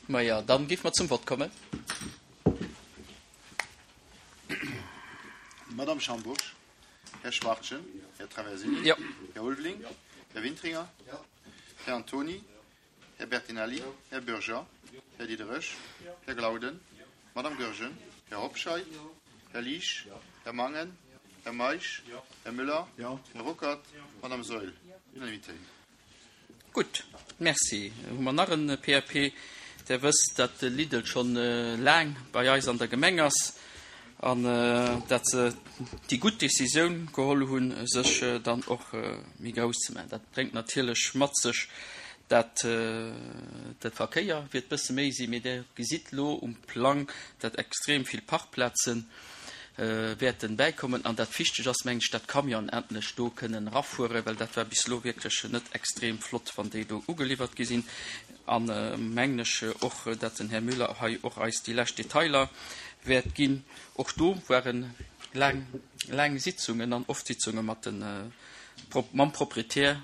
Maja, dann géife mer zum Vott kommen.
Madame Schambourg, Här Schwartjen, Här Traversini,
Ja.
Här Ulveling, Här Wintringer, Här Antoni, Här Bertinelli, Här Bürger, Här Diderich, Här Glauden, Madame Goergen, Här Hobscheit, Här Liesch, Här Mangen, Här Meisch, Här Müller, Här Ruckert, Madame Saeul. Unanimité.
Gutt, merci. Hu mer nach en P A P. Der wësst, datt de Lidl schonn laang bei eis an der Gemeng ass an datt se déi gutt Decisioun geholl hunn, sech dann och méi grouss ze maachen. Dat bréngt natierlech mat sech, datt de Verkéier wäert bësse méi sinn, mee Der gesitt lo um Plang, datt extrem vill Parkplazen wäerten bäikommen an dat wichteg ass, mengen ech, datt Camionen endlech do kënnen erafueren, well dat war bis elo wierklech net extrem flott, wann déi do ugeliwwert gi sinn. An mengen ech och, datt den Här Müller hei och eis déi lescht Detailer wäert ginn. Och do waren laang, laang Sitzungen an oft Sitzunge mat den, mam Proprietär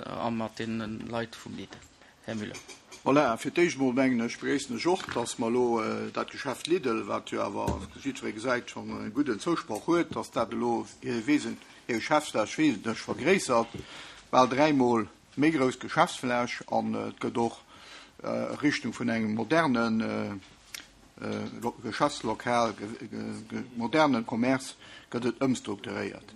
a mat deene Leit vum Lidl. Här Müller.
Voilà, fir d'éischt mol mengen ech, begréissen ech och, dass mer elo dat Geschäft Lidl, wat jo awer jiddweree gesäit schonn e gudden Zousproch huet, dass dat elo hir Wesen, hir Geschäftsfläch wesentlech vergréissert, bal dräimol méi grouss Geschäftsfläch an et gëtt och Richtung vun engem moderne Geschäftslokal, modernen Commerce gëtt et ëmstrukturéiert.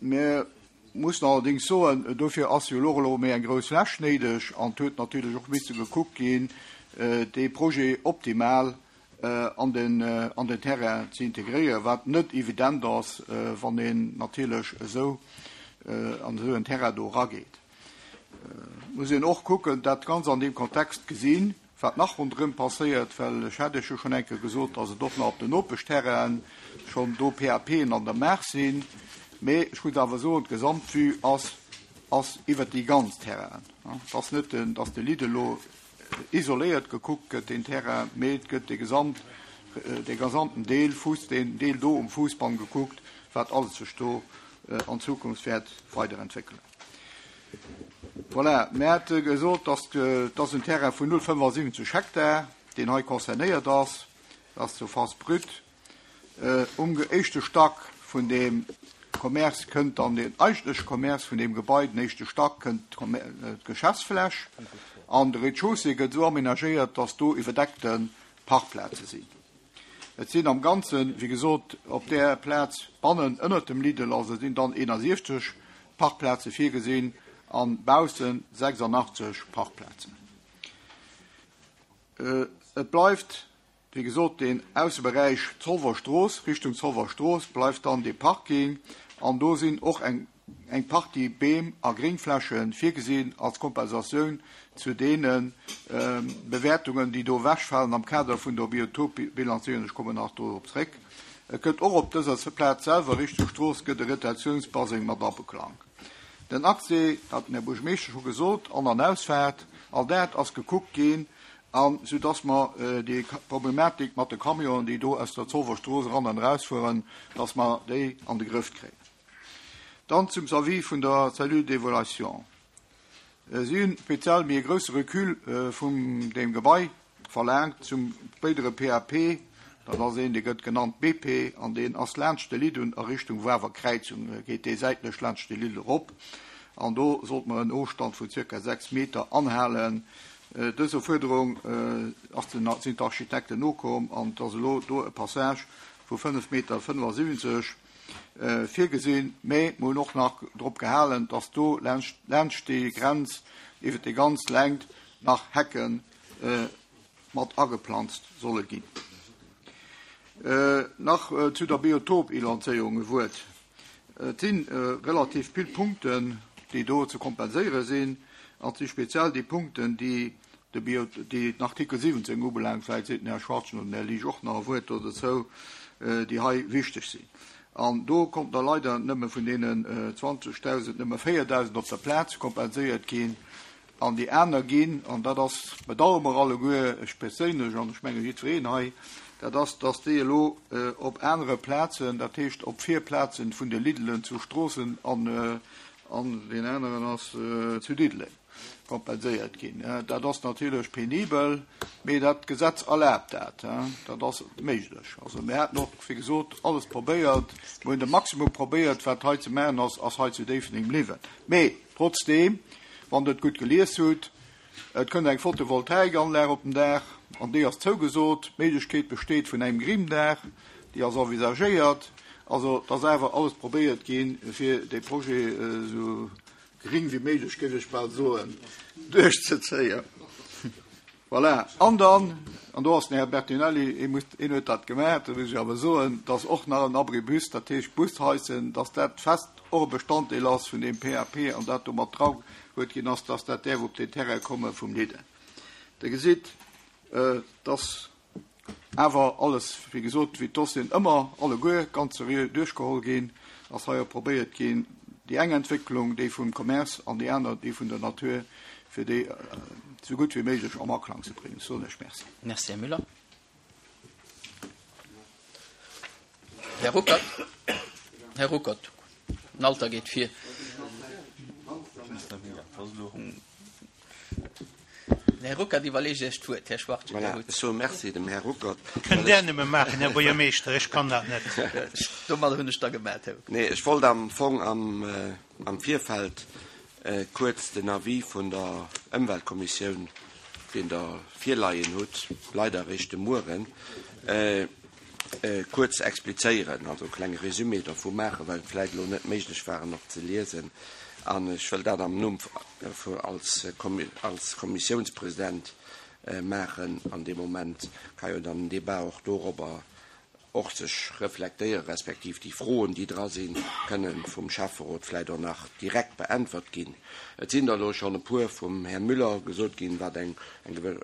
Mir mussen allerdéngs soen, dofir ass jo elo elo méi eng grouss Fläch néideg an et huet natierlech och misse gekuckt ginn, dee Projet optimal an den an den Terrain ze integréieren, wat net evident ass, wann een natierlech esou an esou en Terrain do erageet. Muss een och kucken, dat ganz an deem Kontext gesinn, wat nach ronderëm passéiert, well ech hat Iech jo schonn eng Kéier gesot, dass et och nach op den Nopeschterrainen schonn do P A P'en an der Maach sinn. Mee ech muss awer soen, d'Gesamtvue ass ass iwwert déi ganz Terrainen. Et ass net, dass de Lidl elo isoléiert gekuckt gëtt, deen Terrain, mee et gëtt de gesamt, de gesamten Deel, Fuss, deen Deel do um Fuussbann gekuckt, wat alles sech do an Zukunft wäert weiderentwéckelen. Voilà, mir hate gesot, dass dass en Terrain vun null Komma fënnefensiwwenzeg Hektar, deen hei concernéiert ass, ass Surface brute. Um éischte Stack vun deem Commerce kënnt dann den eigentleche Commerce vun deem Gebai, den éischte Stack kënnt d'Geschäftsfläch an de Rez-de-chaussée gëtt esou amenagéiert, dass do iwwerdeckte Parkplaze sinn. Et sinn am Ganzen, wéi gesot, op där Plaz bannen ënnert dem Lidl, also sinn dann eenasiechzeg Parkplaze virgesinn an baussen sechsandachtzeg Parkplazen. Et bleift, wéi gesot, den Ausseberäich Zolwer Strooss, Richtung Zolwer Strooss bleift dann de Parking an do sinn och eng, eng Partie Beem a Gréngfläche virgesinn als Kompensatioun zu deene Bewäertungen, déi do ewechfalen am Kader vun der Biotopbilanzéierung. Ech kommen nach dorop zréck. Et gëtt och op dëser Plaz selwer Richtung Strooss gëtt e Retentiounsbaseng mat abeklangt. Den Accès, dat hat den Här Buergermeeschter scho gesot, An- an Ausfaart, all dat ass gekuckt ginn, an soudass mer déi Problematik mat de Camionen, déi do aus der Zolwer Strooss eran an erausfueren, dass mer déi an de Grëff kréien. Dann zum Avis vun der Cellule d'évaluation. Si hunn speziell méi e grousse Recul vum deem Gebai verlaangt zum spéidere P A P. Dat ass een, dee gëtt genannt B P, an deen ass laanscht de Lidl a Richtung Wawer Kräizung, geet dee säitlech laanscht de Lidl erop. An do sollt mer en Ofstand vun circa sechs Meter anhalen. Dëser Fuerderung ass den, sinn d'Architekten nokomm, an et ass elo do e Passage vu fënnef Meter fënnefasiwwenzeg virgesinn, mä mir hunn och nach drop gehalen, dass do laanscht, laanscht déi Grenz iwwer déi ganz Längt nach Hecken mat ageplanzt solle ginn. Nach zu der Biotopbilanzéierung e Wuert. Et sinn relativ vill Punkten, déi do ze kompenséiere sinn, an si speziell déi Punkten, déi de Bio, déi den Artikel siwwenzéng ubelaangt, vläicht seet den Här Schwarzen oder den Här Liesch och nach e Wuert do dozou, déi hei wichteg sinn. An do kommt da leider nëmme vun deenen zwanzegtausend nëmme véierdausend op der Plaz kompenséiert ginn. An déi aner ginn, an dat ass bedauere mer alleguer, ech perséinlech an ech menge jiddwereen hei, dat ass, dass déi elo op anere Plazen, dat heescht op Virplazen vun de Lidlen zu Stroossen an, an den aneren ass zu Diddeleng kompenséiert ginn. Dat ass natierlech penibel, mee dat Gesetz erlaabt dat. Dat ass méiglech. Also mir haten och, wéi gesot, alles probéiert. Mir hunn de Maximum probéiert, wat hei ze maachen ass, ass hei zu Déifferdeng bliwwen. Mee trotzdem, wann Der et gutt gelies hutt, et kënnt eng Photovoltaikanlag op den Daach, an déi ass zougesot. D'Méiglechkeet besteet vun engem Grimdaach, déi ass envisagéiert. Also, et ass awer alles probéiert ginn, fir de Projet esou gering wéi méiglech, géif ech bal soen, duerchzezéien. Voilà. An dann, an do ass den Här Bertinelli, een muss, een huet dat gemaach, da muss ech awer soen, dass och nach en Abribus, dat heescht Busheissen, dass dat fest och e Bestanddeel ass vun dem P A P an dat do mat dra huet ginn ass, dass dat däerf op den Terrain komme vum Lidl. Der gesitt, dass awer alles, wéi gesot, wéi d'Dossieren ëmmer alleguer ganz seriö duerchgeholl ginn, ass hei och probéiert ginn, déi eng Entwécklung, déi vum Commerce an déi aner, déi vun der Natur, fir déi so gutt wéi méiglech am Aklang ze bréngen. Soen ech merci.
Merci, Här Müller. Här Ruckert. Här Ruckert. Den Alter geet vir. Här Ruckert iwwerleegt Iech d'Wuert, Här Schwarz.
Voilà, ech soe merci dem Här Ruckert.
Kënnt Där nëmme maachen, Här Buergermeeschter, ech kann dat net.
Domadder hunn ech da gemaat, Här Ruckert.
Nee, ech wollt am Fong am, am Virfeld kuerz den Avis vun der Ëmweltkommissioun, deen der virleien hutt, leider eréischt de Mueren, kuerz explizéieren, also e klenge Resumé dervu maachen, well et vläicht elo net méiglech war, en och ze liesen. An ech wëll dat am Numm als als Kommissiounspräsident maachen. An dem Moment kann jo dann den Débat och dorobber och sech reflektéieren, respektiv déi Froen, déi dra sinn, kënnen vum Schäfferot vläicht och nach direkt beäntwert ginn. Et sinn der elo schonn e puer vum Här Müller gesot ginn, wat eng, eng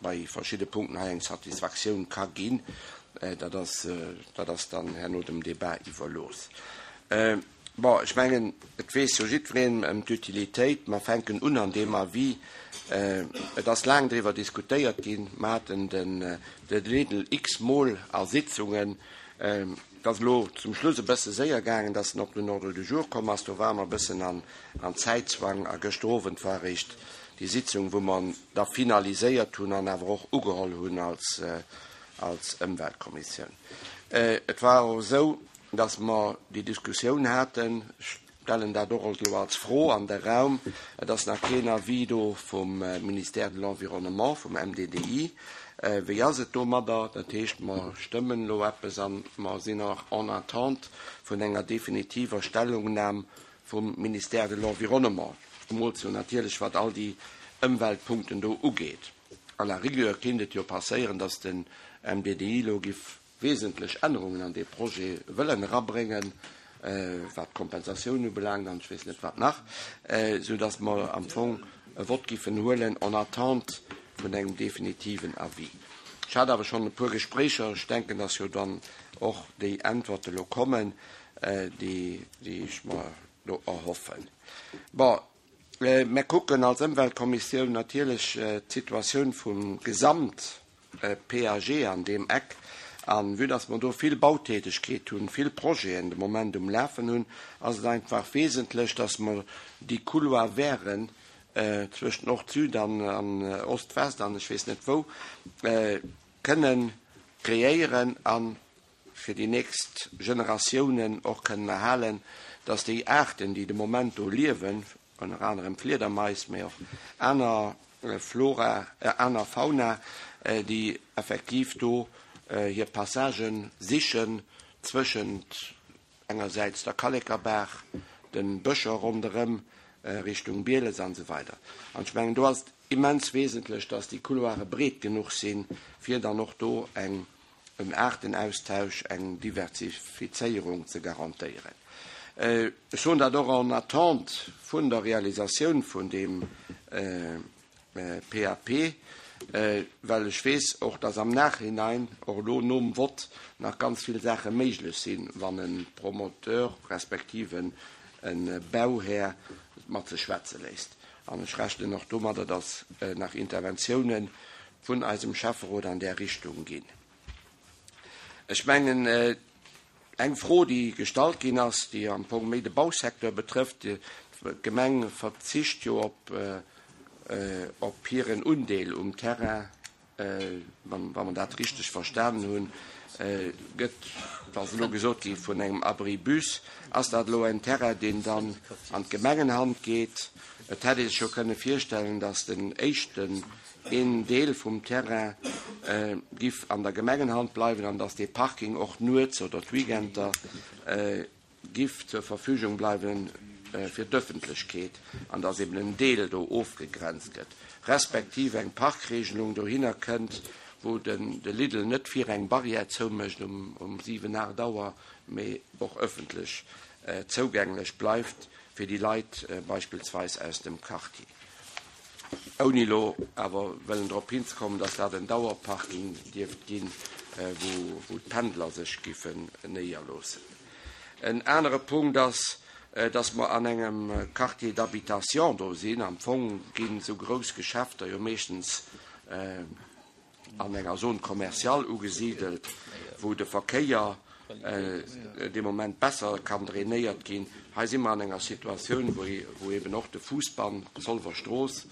bei verschiedene Punkten hei eng Satisfaktioun ka ginn. Dat ass, dat ass dann herno dem Débat iwwerlooss. Bon, ech mengen, et weess jo jiddwereen ëm d'Utilitéit. Mer fänken un an deem Avis. Et ass laang driwwer diskutéiert ginn. Mer haten den, de Lidl x-mol a Sitzungen. Et ass elo zum Schluss e bësse séier gaangen, dass en op den Ordre du jour komm ass. Do war mer e bëssen an, an Zäitzwang. A gëschter Owend war eréischt déi Sitzung, wou mer da finaliséiert hunn an awer och ugeholl hunn als, als Ëmweltkommissioun. Et war och esou, dass mer déi Diskussioun haten. Ech stellen dat och elo als Fro an de Raum. Et ass nach keen Avis do vum Ministère de l'Environnement, vum M D D I. Wéi ass et domadder? Dat heescht, mer stëmmen elo eppes an mer sinn nach en attente vun enger definitiver Stellungnam vum Ministère de l'Environnement, zemools jo natierlech wat all déi Ëmweltpunkten do ugeet. À la rigueur kéint et jo passéieren, dass den M D D I elo giff wesentlech Ännerungen an dee Projet wëllen erabréngen, wat d'Kompensatioun ubelaangt an ech weess net wat nach, soudass mer am Fong e Vott giffen huelen en attente vun engem definitiven Avis. Ech hat awer schonn e puer Gespréicher, ech denken, dass jo dann och déi Äntwerte lo kommen, déi ech mer do erhoffen. Bon, mer kucken als Ëmweltkommissioun natierlech d'Situatioun vum Gesamt-P A G an deem Eck. An vue dass mer do vill Bautätegkeet hunn, vill Projeten de Moment um Lafen hunn, ass et einfach wesentlech, dass mer déi Couloir verten zwëscht Nord-Süd an Ost-West an ech weess net wou kënnen kreéieren a fir déi nächst Generatiounen och kënnen erhalen, dass déi Aarten, déi de Moment do liewen, ënner anerem Fliedermais, mee och aner Flora, aner Fauna, déi effektiv do hir Passagë sichen zwëschent engersäits der Kallekerbaach, de Bëscher ronderëm, Richtung Bieles an esou weider. An ech mengen, do ass et immens wesentlech, dass déi Couloire breet genuch sinn, fir dann och do eng en Aartenaustausch, eng Diversifizéierung ze garantéieren. Ech soen dat och en attente vun der Realisatioun vun deem P A P, well ech weess och, dass am Nachhinein, och elo nom Vott, nach ganz vill Saache méiglech sinn, wann e Promoteur respektiv e Bauhär mat sech schwätze léisst. An ech rechnen och domadder, dass nach Interventiounen vun eisem Schäfferot an där Richtung ginn. Ech mengen, eng Fro, déi gestallt ginn ass, déi am Fong méi de Bausecteur betrëfft, d'Gemeng verzicht jo op op hiren Undeel um Terrain, wa mer dat richteg verstanen hunn, gëtt, et ass elo gesot gi vun engem Abribus, ass dat elo en Terrain, deen dann an d'Gemengenhand geet? Et hätt ee sech jo kënne virstellen, datt den éischten een Deel vum Terrain giff an der Gemengenhand bleiwen an datt dee Parking och nuets oder d'Weekender giff zur Verfügung bleiwen fir d'Ëffentlechkeet an datt eben en Deel do ofgegrenzt gëtt, respektiv eng Parkregelung dohinner kënnt, wou den de Lidl net vir eng Barrière zoumécht um um siwen, aacht Auer, mee och ëffentlech zougänglech bleift fir déi Leit beispillsweis aus dem Quartier. Ouni elo awer wëllen drop hinzekommen, datt dat en Dauerparking dierft ginn, wou wou d'Pendler sech giffen néierloossen. En anere Punkt ass, datt mer an engem Quartier d'habitation do sinn. Am Fong ginn esou grouss Geschäfter jo meeschtens an enger Zone commerciale ugesidelt, wou de Verkéier dee Moment besser kann drainéiert ginn. Hei si mer an enger Situatioun, wou eben och de Fuussbann, d'Zolwer Strooss,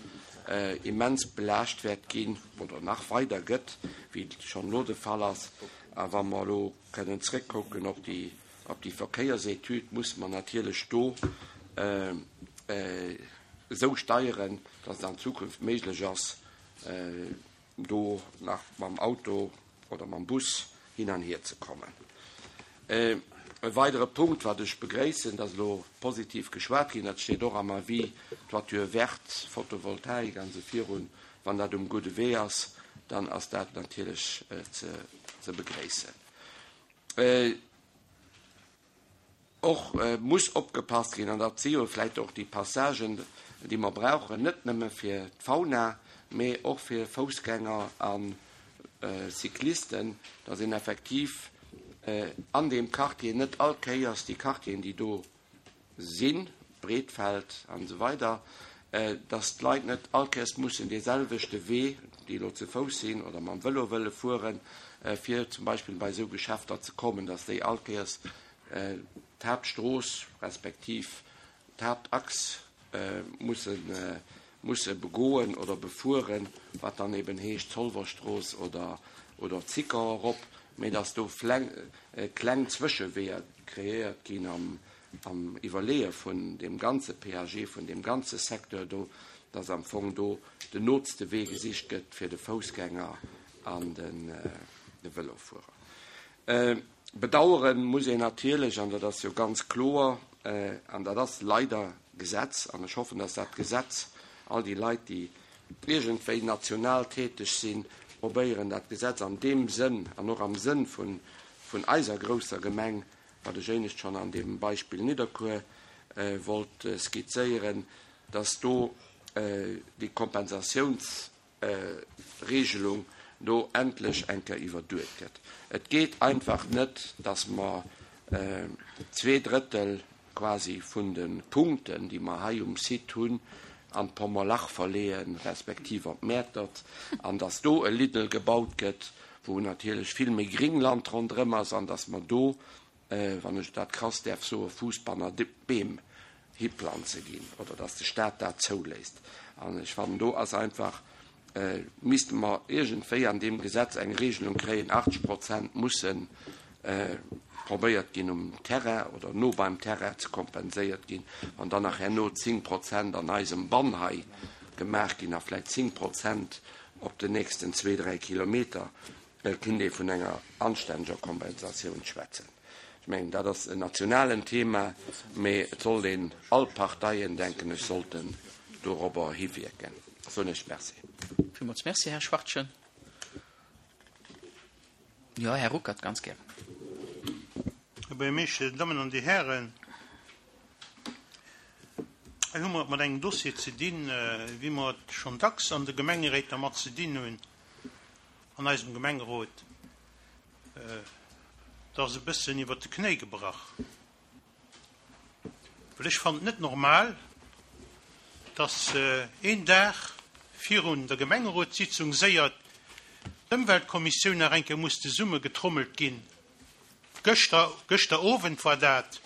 immens belaascht wäert ginn oder nach weider gëtt, wéi et schonn elo de Fall ass. A wa mer elo kënnen zréckkucken op déi op déi Verkéiersetüd, musse mer natierlech do esou steieren, dass et an Zukunft méiglech ass, do nach mam Auto oder mam Bus hin an hier ze kommen. E weidere Punkt, wat ech begréissen, dass elo positiv geschwat ginn, dat steet och am Avis, Toiture verte, Photovoltaik an esou virun, wann dat um gudde Wee ass, dann ass dat natierlech ze begréissen. Och muss opgepasst ginn, an dat si jo vläicht och déi Passagen, déi mer brauchen, net nëmme fir d'Fauna, mee och fir Foussgänger a Cyclisten, dass een effektiv an deem Quartier net all Kéiers déi Quartieren, déi do sinn, Breetfeld an esou weider, dass d'Leit net all Kéiers mussen dee selwechte Wee, déi elo ze Fouss sinn oder mam Vëlo wëlle fueren, fir zum Beispill bei esou Geschäfter ze kommen, dass déi all Kéiers d'Haaptstrooss respektiv d'Haaptachs musse musse begoen oder befueren, wat dann eben heescht Zolwerstrooss oder oder Zicker erop, mee dass do kleng Zwëscheweeër kreéiert ginn am am Iwwerleeë vun deem ganze P A G, vun deem ganze Secteur do, dass am Fong do den nootste Wee gesicht gëtt, fir de Foussgänger an de Vëlofuerer. Bedauere muss een natierlech, an dat ass jo ganz kloer, an dat ass leider Gesetz, an ech hoffen, dass dat Gesetz all déi Leit, déi iergendwéi national täteg sinn, probéieren, dat Gesetz an deem Sënn an och am Sënn vun eiser grousser Gemeng, wat ech éinescht schonn an deem Beispill Nidderkuer wollt skizzéieren, dass do déi Kompensatiounsregelung do endlech eng Kéier iwwerduet gëtt. Et geet einfach net, dass mer zwee Drëttel quasi vun de Punkten, déi mer hei um Site hunn, an d'Pommerlach verleeën, respektiv op Mäertert, an dass do e Lidl gebaut gëtt, wou natierlech vill méi Gringland ronderëm ass, an dass mer do, wann ech dat krass däerf soen, Fuussbanner Beem hiplanze ginn, oder dass de Stat dat zouléisst. An ech fannen, do ass einfach, misste mer iergendwéi an deem Gesetz eng Regelung kréien, achtzeg Prozent musse probéiert ginn um Terrain oder no beim Terrain ze kompenséiert ginn, wann dann nach herno zéng Prozent an eisem Bann hei gemaach ginn a vläicht zéng Prozent op den nächsten zwee, dräi Kilometer, kinnt ee vun enger anstänneger Kompensatioun schwätzen. Ech mengen, dat ass en nationalen Thema, mee et sollt een, all Parteien, denken ech, sollten dorobber hiwierken. Soen ech Merci.
Villmools Merci, Här Schwachtgen. Jo, Här Ruckert, ganz gär.
Här Buergermeeschter, Dir Dammen an Dir Hären, hei hu mer et mat engem Dossier ze dinn, wéi mer et schonn dacks an de Gemengeréit dermat ze dinn hunn, an eisem Gemengerot. Et ass e bëssen iwwert de Knéi gebrach, well ech fannen et net normal, dass een Dag virun der Gemengerotssitzung séier d'Ëmweltkommissioun nach eng Kéier muss zesummegetrommelt ginn, gëschter, gëschter Owend war dat,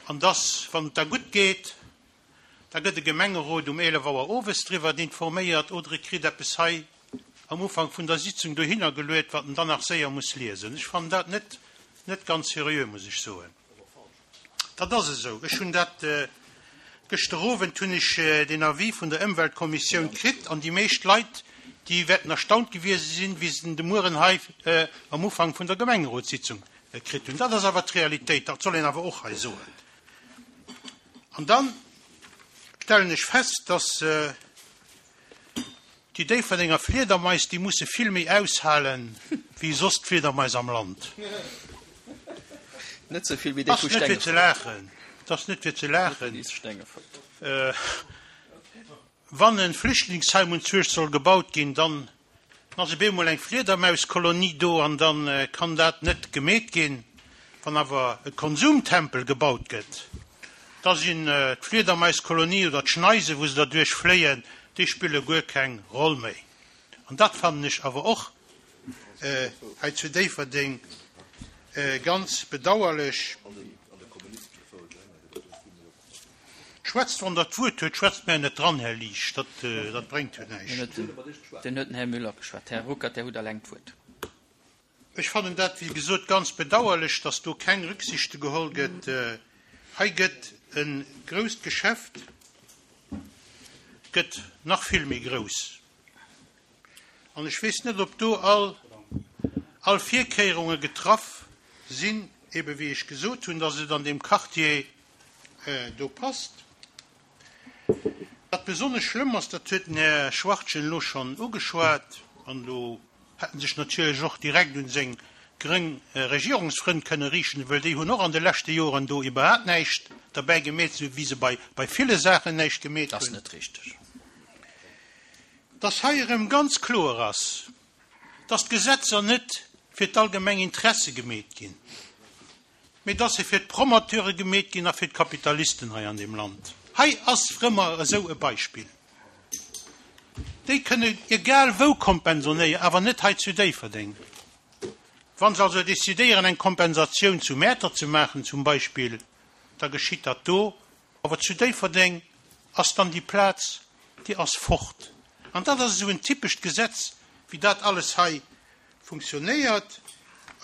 an dass, wann et da gutt geet, da gëtt de Gemengerot um eelef Auer owes driwwer informéiert oder e kritt eppes hei am Ufank vun der Sitzung dohinner geluet, wat en dann nach séier muss liesen. Ech fannen dat net, net ganz seriö, muss ech soen. Dat ass esou. Ech hunn dat, gëschter Owend hunn ech den Avis vun der Ëmweltkommissioun kritt an déi meescht Leit, déi wäerten erstaunt gewiese sinn, wéi se den de Mueren hei am Ufank vun der Gemengerotssitzung kritt hunn. Dat ass awer d'Realitéit, dat soll een awer och hei soen. An dann stellen ech fest, dass déi Déifferdenger Fliedermais, déi musse vill méi aushalen, wéi soss d'Fliedermais am Land.
Net sou vill wéi déi
Ass
vu
net fir ze
Stengefort.
laachen. Et ass net fir ze laachen.
Net Stengefort.
Wann e Flüchtlingsheim un Zuecht soll gebaut ginn, dann ass op eemol eng Fliedermauskolonie do an da kann dat net gemeet ginn. Wann awer e Konsumtempel gebaut gëtt, da sinn d'Fliedermaiskolonie oder d'Schneise, wou se derduerch fléien, déi spille guer keng Roll méi. An dat fannen ech awer och hei zu Déifferdeng ganz bedauerlech. Schwätzt, wann Der d'Wuert huet, schwätzt mär net dran, Här Liesch, dat, dat bréngt jo näischt.
Dann huet den Här Müller geschwat. Här Ruckert, Dir hutt eleng d'Wuert.
Ech fannen dat, wéi gesot, ganz bedauerlech, dass do keng Rücksichte geholl gëtt. Hei gëtt e grousst Geschäft, gëtt nach vill méi grouss. An ech weess net, ob do all, all Virkéierunge getraff sinn, ebe wéi ech gesot hunn, dass et an deem Quartier do passt. Wat besonnesch schlëmm ass, dat huet den Här Schwachtgen elo schonn ugeschwat, an do hätt en sech natierlech och direkt un seng gréng Regierungsfrënn kënne riichten, wëll déi hunn och an de leschte Joren do iwwerhaapt näischt derbäi gemeet, esou wéi se bei, bei ville Saachen näischt gemeet
Dat ass
hunn.
net richteg.
Dass hei erëm ganz kloer ass, dass d'Gesetzer net fir d'allgemeng Interesse gemeet ginn, mee dass se fir d'Promoteure gemeet ginn a fir d'Kapitalisten hei an deem Land. Hei ass rëmmer esou e Beispill. Déi kënne egal wou kompensonéieren, awer net hei zu Déifferdeng. Wann se also decidéieren, eng Kompensatioun zu Mäertert ze maachen zum Beispill, da geschitt dat do. Awer zu Déifferdeng ass dann déi Plaz, déi ass fort. An dat ass esou en typescht Gesetz, wéi dat alles hei funktionéiert.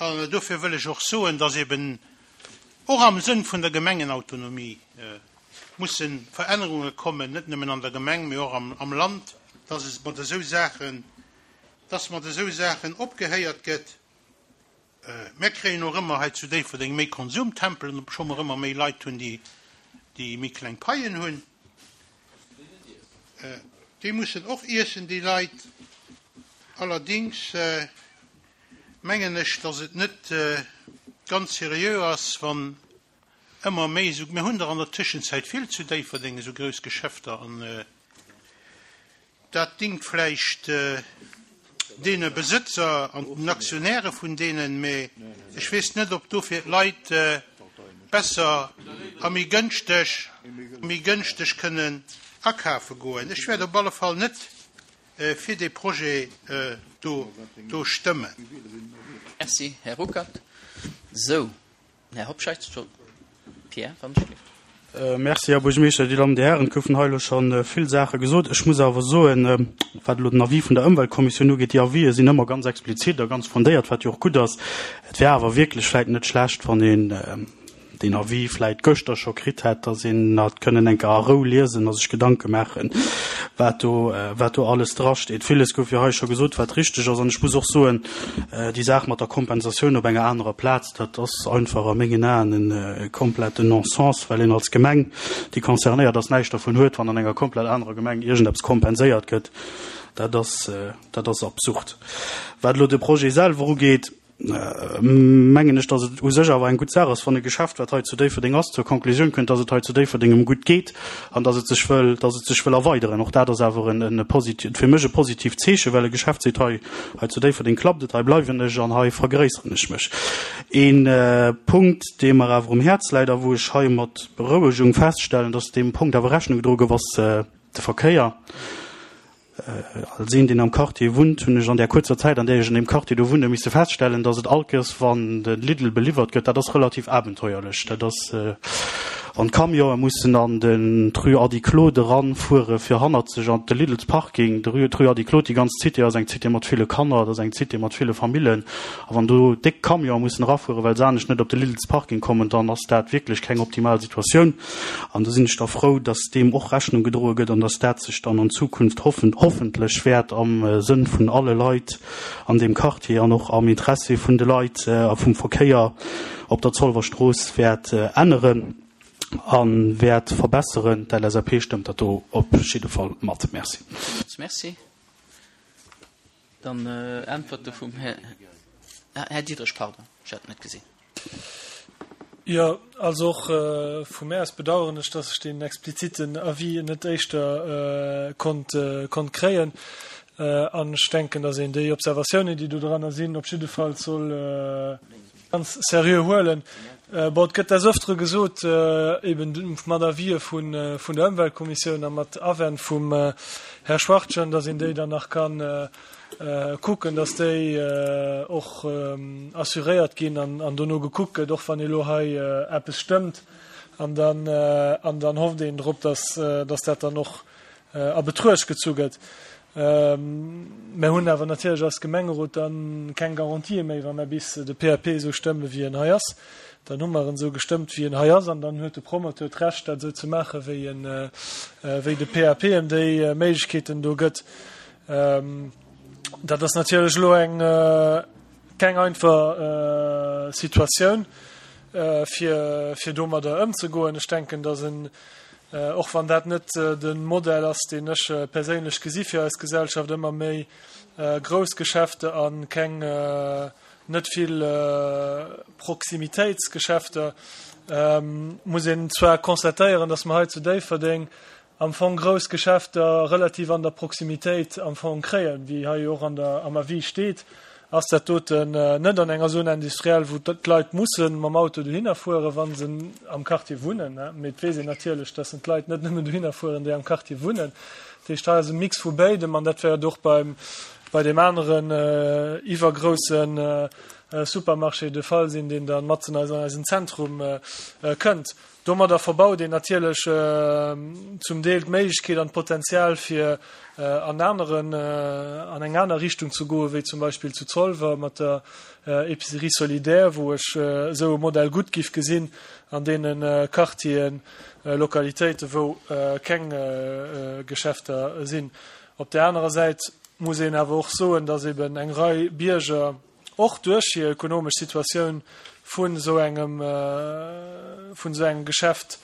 An dofir wëll ech och soen, dass eben och am Sënn vun der Gemengenautonomie musse Verännerunge kommen, net nëmmen an der Gemeng, mee och am, am Land, dass et mat esou Saachen dass mat esou Saachen opgehéiert gëtt. Mir kréien och ëmmer hei zu Déifferdeng méi Konsumtempelen, obscho mer ëmmer méi Leit hunn, déi, déi méi kleng Paien hunn. Déi mussen och iessen, déi Leit. Allerdings mengen ech, dass et net ganz seriö ass, wann ëmmer méi esou, mir hunn der an der Tëschenzäit vill zu Déifferdeng, esou grouss Geschäfter an dat dingt vläicht deene Besëtzer an den Aktionäre vun deenen, mee ech weess net, ob dofir d'Leit besser a méi gënschteg, méi gënschteg kënnen akafe goen. Ech wäert op alle Fall net fir dee Projet do, do stëmmen.
Merci, Här Ruckert. Sou, Här Hobscheit, Pierre, wann ech gelift.
Merci, Här Buergermeeschter. Dir Dammen, Dir Hären, et goufen hei elo scho vill Saache gesot. Ech muss awer soen, wat elo den Avis vun der Ëmweltkommissioun ugeet, déi Avisë sinn ëmmer ganz explizit a ganz fondéiert, wat jo och gutt ass. Et wär awer wierklech vläicht net schlecht, wann een deen Avis vläicht gëschter scho kritt hätt, dass een hat kënnen eng Kéier a Rou liesen a sech Gedanke maachen, wat do, wat do alles drasteet. Villes gouf jo hei scho gesot, wat richteg ass. An ech muss och soen, déi Saach mat der Kompensatioun op enger anerer Plaz, dat ass einfach a mengen Aen e kompletten Non-sens, well een als Gemeng, déi concernéiert ass, näischt dervun huet, wann an enger komplett anerer Gemeng iergendeppes kompenséiert gëtt. Dat ass, dat ass absurd. Wat elo de Projet selwer ugeet, mengen ech, datt et u sech awer eng gutt Saach ass, wann e Geschäft, wat hei zu Déifferdeng ass, zur Konklusioun kënnt, datt et hei zu Déifferdeng ëm gutt geet an datt et sech wëll, datt et sech wëll erweideren. Och dat ass awer en, en posit-, fir mech e positiivt Zeechen, well e Geschäft seet, hei, hei zu Déifferdeng klappt et, hei bleiwen ech an hei vergréisseren ech mech. Ee Punkt, dee mer awer um Häerz läit a wou ech hei mat Berouegung feststellen, datt deem Punkt awer Rechnung gedroe gouf, ass de Verkéier. Als een, deen am Quartier wunnt, hunn ech an där kuerzer Zäit, an där ech an deem Quartier do wunne, misse feststellen, dass et all Kéiers, wann de Lidl beliwwert gëtt, dat ass relativ abenteuerlech, dat ass, wann d'Camionë mussen an den d'Rue Ady Claude eranfuere fir hannerzeg an de Lidls Parking. De Rue Ady Claude, déi ganz Cité ass eng Cité mat ville Kanner, dat ass eng Cité mat ville Famillen, a wann do déck Camionë mussen erafuere well se anescht net op de Lidls Parking kommen, dann ass dat wierklech keng optimal Situatioun. An do sinn ech da frou, dass deem och Rechnung gedroe gëtt an dass dat sech dann an Zukunft hoffen, hoffentlech wäert am Sënn vun alle Leit an deem Quartier an och am Interessi vun de Leit a vum Verkéier op der Zolwer Strooss wäert änneren a wäert verbesseren. D'LSAP stëmmt dat do op jidde Fall mat. Merci.
Merci. Dann Äntwerte vum Här, Här Diderich, pardon, ech hat net gesinn.
Jo, also och vu mär aus bedauern ech, dass ech deen expliziten Avis net éischter konnt, konnt kréien. An ech denken, dass een déi Observatiounen, déi do dranner sinn, op jidde Fall soll ganz seriö huelen. Bon, et gëtt des Öftere gesot, eben mat Avisë vun, vun der Ëmweltkommissioun a mat Awänn vum Här Schwachtgen, dass een déi dann nach kann kucken, dass déi och assuréiert ginn an dono gekuckt gëtt, och wann ee lo hei eppes stëmmt. An dann, an dann hofft een drop, dass, dass dat dann och a Betruecht gezu gëtt. Mer hunn awer natierlech als Gemengerot da keng Garantië méi, wa mer bis de P A P esou stëmme wéi en hei ass. Dann hu mer en esou gestëmmt wéi en hei ass an dann huet de Promoteur d'Recht, dat esou ze maachen, wéi en, wéi de P A P em déi Méiglechkeeten do gëtt. Dat ass natierlech elo eng keng einfach Situatioun, fir fir domadder ëmzegoen. Ech denken, datt en, och wann dat net de Modell ass, deen ech perséinlech gesi fir eis Gesellschaft, ëmmer méi grouss Geschäfte a keng net vill Proximitéitsgeschäfter, muss een zwar constatéieren, datt mer hei zu Déifferdeng am Fong grouss Geschäfter relativ an der Proximitéit am Fong kréien, wéi hei jo och an der, am Avis steet, ass dat doten net an enger Zone industrielle, wou d'Leit musse mam Auto dohinner fueren, wa se am Quartier wunnen. Mee et weess een natierlech, dass d'Leit net nëmmen dohinner fueren, déi am Quartier wunnen. Dat heescht, hei ass e Mix vu béidem an dat wäert och beim, bei deem aneren iwwergrousse Supermarché de Fall sinn, deen da matzen an eisen Zentrum kënnt. Domadder verbaut een natierlech zum Deel d'Méiglechkeet an d'Potenzial fir an aneren, an eng aner Richtung ze goen, wéi zum Beispill zu Zolwer mat der Épicerie solidaire, wou ech esou e Modell gutt giff gesinn an deene Quartieren, Lokalitéiten, wou keng Geschäfter sinn. Op där anerer Säit muss een awer och soen, dass eben eng Rei Bierger och duerch hir ökonomesch Situatioun vun esou engem, vun esou engem Geschäft,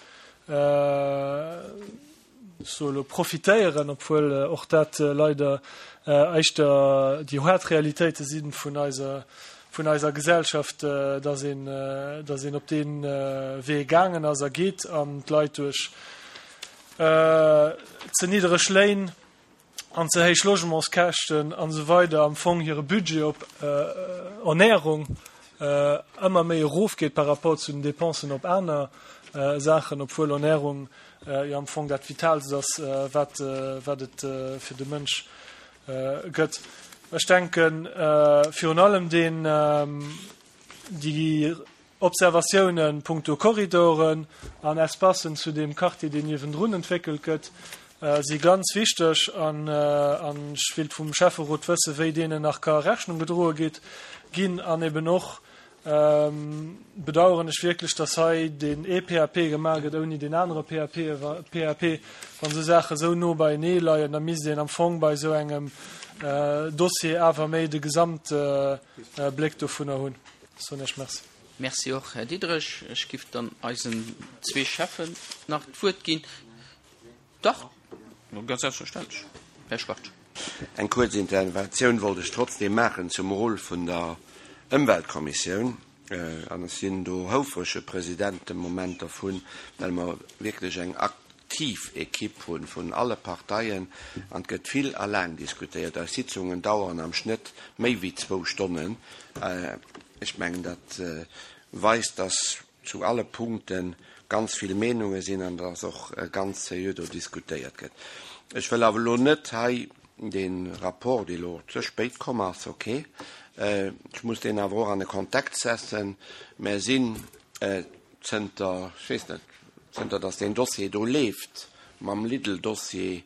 ech soe elo profitéieren, obwuel och dat leider éischter déi haart Realitéite si vun eiser, vun eiser Gesellschaft, dass een, dass een op dee Wee gaangen ass a geet an d'Leit duerch ze niddereg Léin an ze héich Logementskäschten an esou weider am Fong hire Budget op Ernährung ëmmer méi erofgeet par rapport zu den Dépensen op aner Saachen, obwuel Ernährung jo am Fong dat Vitaalst ass, wat wat et fir de Mënsch gëtt. Ech denken virun allem deen déi Observatiounen punkto Korridoren an Espacen zu deem Quartier, deen niewendrun entwéckelt gëtt, si ganz wichteg an ech wéilt vum Schäfferot wëssen, wéi deenen nach ka Rechnung gedroe geet ginn. An eben och bedauern ech wierklech, dass hei deen ee P A P gemaach gëtt ouni deen anere P A P. P A P. Wann esou Saache esou no beienee leien, da misst een am Fong bei esou engem Dossier awer méi de Gesamtbléck dovunner hunn. Soen ech Merci.
Merci och, Här Diderich. Ech giff dann eisen zwee Schäffen nach d'Wuert ginn. Dach, ganz selbstverständlech, Här Schwartz.
Eng kuerz Interventioun wollt ech trotzdem maachen zum Rôle vun der Ëmweltkommissioun. An ech sinn do houfrege President de Moment dervun, well mer wierklech eng aktiv Equipe hu vun alle Parteien an et gëtt vill a laang diskutéiert. Eis Sitzungen daueren am Schnëtt méi wéi zwou Stonnen. Ech mengen, dat weist, dass zu alle Punkte ganz vill Meenunge sinn an dass och ganz seriö do diskutéiert gëtt. Ech wëll awer elo net hei dee Rapport, dee elo ze spéit komm ass, okay, ech muss deen awer och an e Kontext setzen. Mer sinn zënter, ech weess net, zënter dass deen Dossier do leeft, mam Lidl-Dossier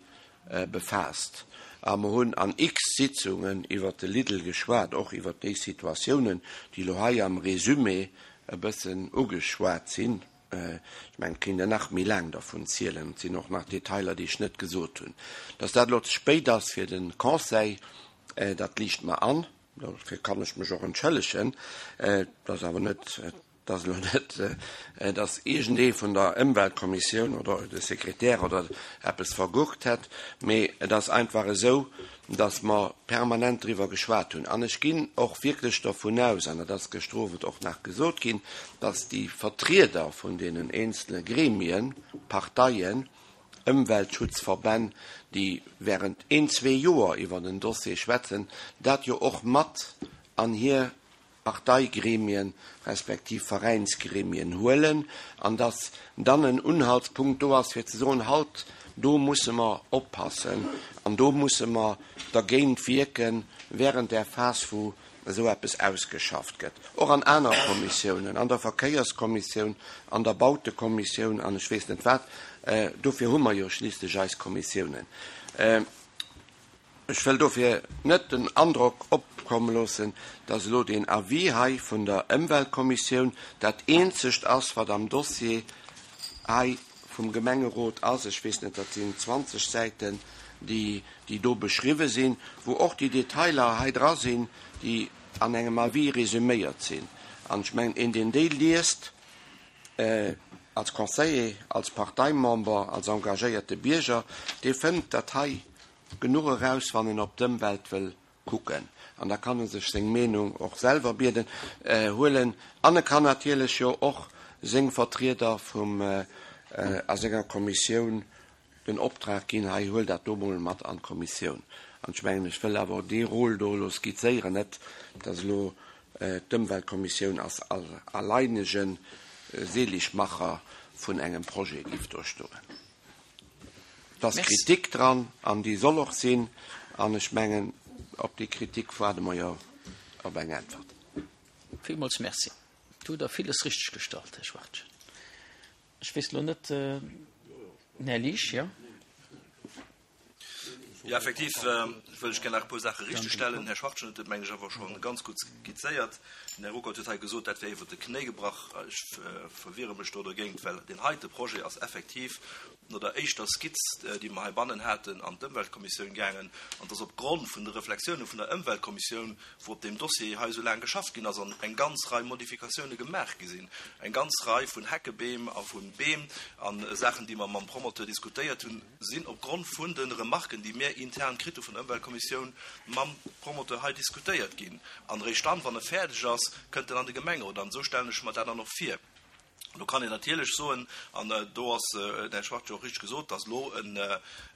befaasst a mer hunn an x Sitzungen iwwert de Lidl geschwat, och iwwert déi Situatiounen, déi elo hei am Résumé e bëssen ugeschwat sinn. Ech mengen, et kéint een nach méi laang dervun zielen. Et sinn och nach Detailer, déi ech net gesot hunn. Dass dat elo ze spéit ass fir de Conseil, dat liicht mer an. Dofir kann ech mech och entschëllegen. Et ass awer net, et ass elo net, dass iergendee vun der Ëmweltkommissioun oder de Sekretär oder eppes vergurkt hätt, mee et ass einfach esou, dass mer permanent driwwer geschwat hunn. An ech ginn och wierklech dervun aus, an dat ass gëschter Owend och nach gesot ginn, dass déi Vertrieder vun deenen eenzele Gremien, Parteien, Ëmweltschutzverbänn, déi während een, zwee Joer iwwer den Dossier schwätzen, dat jo och mat an hir Parteigremien respektiv Veräinsgremien huelen an dass dann en Unhaltspunkt do ass, fir ze soen, Halt, do musse mer oppassen an do musse mer dergéint wierken während där Phas, wou esou eppes ausgeschafft gëtt. Och an aner Kommissiounen, an der Verkéierskommissioun, an der Bautekommissioun an ech weess net wat, dofir hu mer jo schliisslech eis Kommissiounen. Ech wëll dofir net den Androck opkomme loossen, dass elo deen Avis hei vun der Ëmweltkommissioun dat eenzegt ass, wat am Dossier hei vum Gemengerot ass. Ech weess net, dat sinn zwanzeg Säiten, déi, déi do beschriwwe sinn, wou och déi Detailer hei dra sinn, déi an engem Avis resüméiert sinn. An ech mengen, een, deen déi liest, als Conseiller, als Parteimember, als engagéierte Bierger, dee fënnt dat hei genuch eraus, wann en op d'Ëmwelt wëll kucken. An da kann e sech seng Meenung och selwer bieden, huelen. An e kann natierlech jo och seng Vertrieder vum, a senger Kommissioun den Optrag ginn, hei huel dat do mol mat an d'Kommissioun. An ech mengen, ech wëll awer dee Rôle do elo skizzéieren, net datt elo d'Ëmweltkommissioun als alleinege Seligmacher vun engem Projet géif do stoen. Et ass Kritik dran an déi soll och sinn. An ech mengen, op déi Kritik waarde mer jo op eng Äntwert.
Villmools Merci. Do hutt Der villes richteg gestallt, Här Schwachtgen. Ech weess elo net, den Här Liesch, jo?
Ja, effektiv wëll ech gär nach e puer Saache richtegstellen. Här Schwachtgen huet et, mengen ech, awer scho ganz gutt skizzéiert. Den Här Ruckert huet hei gesot, dat wär iwwert de Knéi gebrach. Ech verwiere mech do dergéint, well deen heite Projet ass effektiv no der éischter Skizz, déi mer heibannen haten, an d'Ëmweltkommissioun gaangen. An et ass opgrond vun de Reflexioune vun der Ëmweltkommissioun, wou op deem Dossier hei esou laang geschafft ginn ass an eng ganz Rei Modifikatioune gemaach gi sinn, eng ganz Rei vun Heckebeem a vu Beem a Saachen, déi mer mam Promoteur diskutéiert hunn, sinn opgrond vun de Remarken, déi mir intern kritt hu vun der Ëmweltkommissioun, mam Promoteur hei diskutéiert ginn. An eréischt dann, wann e fäerdeg ass, kënnt en an de Gemengerot. An esou stellen ech mer dat dann och vir. Do kann een natierlech soen, an do ass, den Här Schwarz jo och richteg gesot, dass elo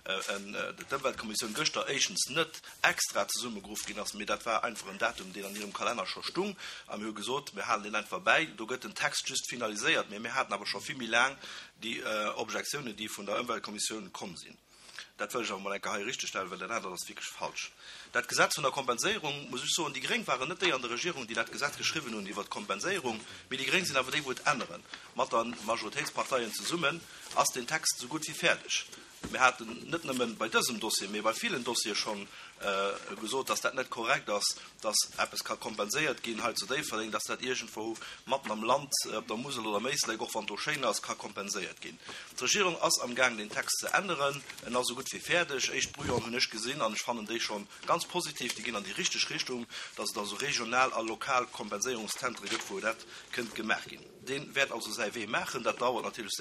d'Ëmweltkommissioun gëschter éischtens net extra zesummegeruff ginn ass, mee dat war einfach en Datum, deen an hirem Kalenner scho stung. A mir hu gesot, mir halen deen einfach bäi. Do gëtt den Text just finaliséiert, mee mir haten awer scho vill méi laang déi Objektiounen, déi vun der Ëmweltkommissioun komm sinn. Dat wëll ech awer emol eng Kéier hei richtegstellen, well dat anert ass wierklech falsch. Dat Gesetz vun der Kompenséierung, muss ech soen, déi Gréng waren net déi an der Regierung, déi dat Gesetz geschriwwen hunn iwwert d'Kompenséierung, mee déi Gréng sinn awer déi, wou et änneren. Mat der Majoritéitsparteien zesummen ass deen Text esou gutt wéi fäerdeg. Mir haten net nëmme bei dësem Dossier, mee bei villen Dossiere schonn gesot, dass dat net korrekt ass, dass eppes ka kompenséiert ginn hei zu Déifferdeng, dass dat iergendwou matten am Land, op der Musel oder am Éislek, och wann et do schéin ass, ka kompenséiert ginn. D'Regierung ass amgaang, deen Text ze änneren. En ass esou gutt wéi fäerdeg. Éischt Brouillon hunn ech gesinn an ech fannen déi scho ganz positiv. Déi ginn an déi richteg Richtung, dass et also regional a lokal Kompenséierungszentre gëtt, wou dat kënnt gemaach ginn. Dee wäert also säi Wee maachen. Dat dauert natierlech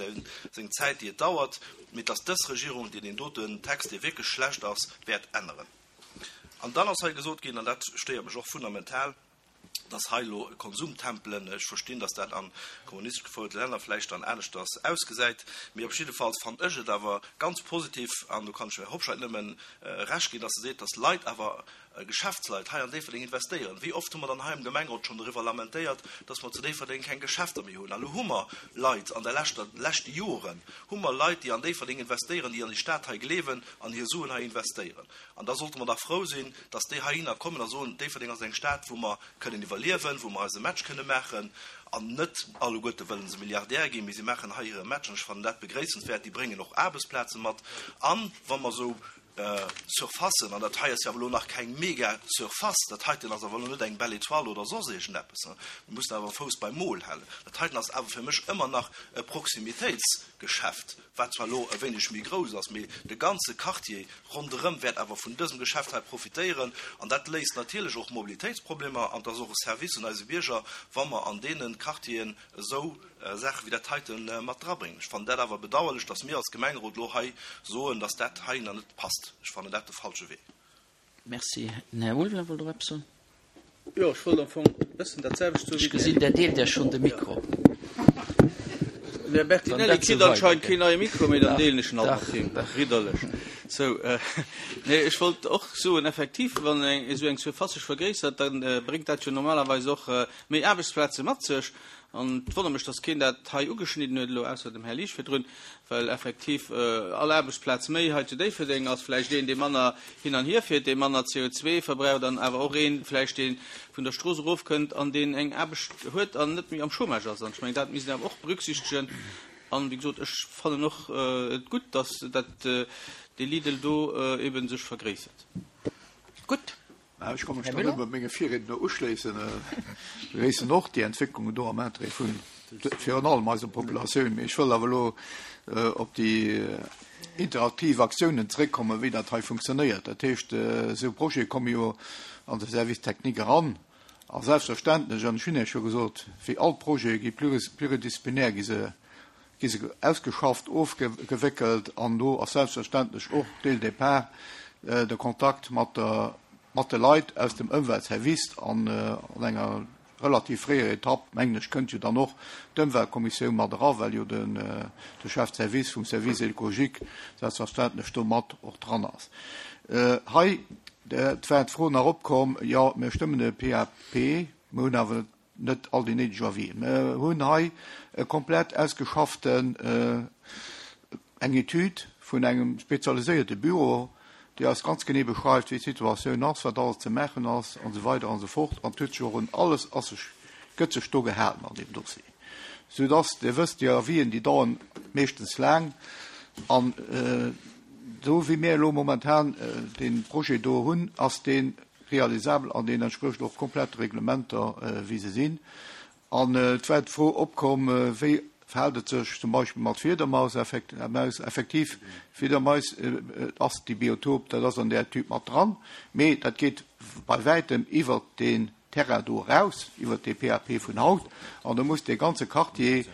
seng Zäit, déi et dauert, mee et ass dës Regierung, déi deen doten Text, dee wierklech schlecht ass, wäert änneren. An dann ass hei gesot ginn, an dat stéiert mech och fundamental, dass hei elo Konsumtempelen, ech verstinn, dass dat a kommunistesch gefouerte Länner vläicht dann aneschters ausgesäit, mee op jiddefalls fannen ech et awer ganz positiv, an do kann ech dem Här Hobscheit nëmme Recht ginn, dass e seet, dass Leit awer, Geschäftsleit hei an Déifferdeng investéieren. Wéi oft hu mer dann hei am Gemengerot schonn doriwwer lamentéiert, dass mer zu Déifferdeng keng Geschäfter méi hunn. A lo hu mer Leit, an der leschter, leschte Joren hu mer Leit, déi an Déifferdeng investéieren, déi an déi Stad hei gleewen an hir Suen hei investéieren. An da sollte mer dach frou sinn, dass déi heihinner kommen a soen, Déifferdeng ass eng Stad, wou mer kënnen iwwerliewen, wou mer eise Match kënne maachen. An net alleguerte wëlle se Milliardär ginn, mee si maachen hei hire Match. An ech fannen dat begréissenswäert. Déi bréngen och Aarbechtsplaze mat. An wa mer esou Surfacen, an dat hei ass jo awer elo nach keng mega Surface, dat heiten ass awer elo net eng Belle Étoile oder soss iergendeppes, mir mussen awer e Fouss beim Mol halen, dat heiten ass awer fir mech ëmmer nach e Proximitéitsgeschäft, wat zwar elo e wéineg méi grouss ass, mee de ganze Quartier ronderëm wäert awer vun dësem Geschäft hei profitéieren an dat léist natierlech och Mobilitéitsproblemer an et ass och e Service un eise Bierger, wa mer an deene Quartieren esou Saache wéi dat heite mat drabréngen. Ech fannen dat awer bedauerlech, dass mir als Gemengerot elo hei soen, dass dat heihinner net passt. Ech fannen dat de falsche Wee.
Merci. Den Här Ulveling wollt och eppes soen.
Jo, ech wollt am Fong e bëssen dat selwecht soen wéi
Ech gesinn, Der deelt Iech schonn de Mikro.
Den Här Bertinelli kritt anscheinend keen neie Mikro méi, dann deelen ech en alt mat him. Ridderlech. Sou, nee, ech wollt och soen, effektiv, wann esou eng Surface sech vergréissert, da bréngt dat jo normalerweis och méi Aarbechtsplaze mat sech. An et wonnert mech, dass keen dat hei ugeschnidden huet elo, ausser dem Här Liesch virdrun, well effektiv all Aarbechtsplaz méi hei zu Déifferdeng ass vläicht een, dee manner hin an hier fiert, dee manner C O zwei verbraucht an awer och een vläicht, dee vun der Strooss erofkënnt an deen eng Aarbecht huet an net méi am Chômage ass. An ech mengen, dat misst een awer och berücksichtegen. An, wéi gesot, ech fannen och et gutt, dass dat dee Lidl do eebe sech vergréissert.
Gutt.
Ech ka mech do nëmme menge Virriedner uschléissen. Ech begréissen och déi Entwécklungen do am Interêt vun virun allem eiser Populatioun. Mee ech wëll awer elo op déi interaktiv Aktiounen zréckkommen, wéi dat hei funktionéiert. Dat heescht, esou Projete komme jo an de Service technique eran. A selbstverständlech, an ech hunn Iech jo gesot, wéi all Projete gi pluridisziplinär gi se gi se ausgeschafft, ofgewéckelt an do ass selbstverständlech och dès le départ de Kontakt mat der, mat de Leit aus dem Ëmweltservice an an enger relativ fréier Etapp, mengen ech, kënnt jo dann och d'Ëmweltkommissioun mat era, well jo den de Chef de service vum Service écologique selbstverständlech do mat och dran ass. Hei, et war d'Fro nach opkomm, jo, mir stëmmen de P A P, mir hunn awer net all déi néideg Avis'en. Mir hunn hei e komplett ausgeschafften, eng Etüd vun engem spezialiséierte Büro, déi eis ganz genee beschreift, wéi d'Situatioun ass, wat alles ze maachen ass an esou weider an esou fort. An et huet sech och un alles ass sech, gëtt sech do gehalen an deem Dossier, soudass, Dir wësst, déi Avis'en, déi dauern meeschtens laang an Esou wéi mir elo momentan dee Projet do hunn, ass dee realisabel an deen entsprécht och komplett de Reglementer, wéi se sinn. An et war d'Fro opkomm, wéi verhält et sech zum Beispill mat Fiedermaus? Effektiv, Fiedermais ass déi Biotop, dat ass an där Etüd mat dran, mee dat geet bei wäitem iwwert deen Terrain do eraus, iwwert dee PAP vun haut. An do muss dee ganze Quartier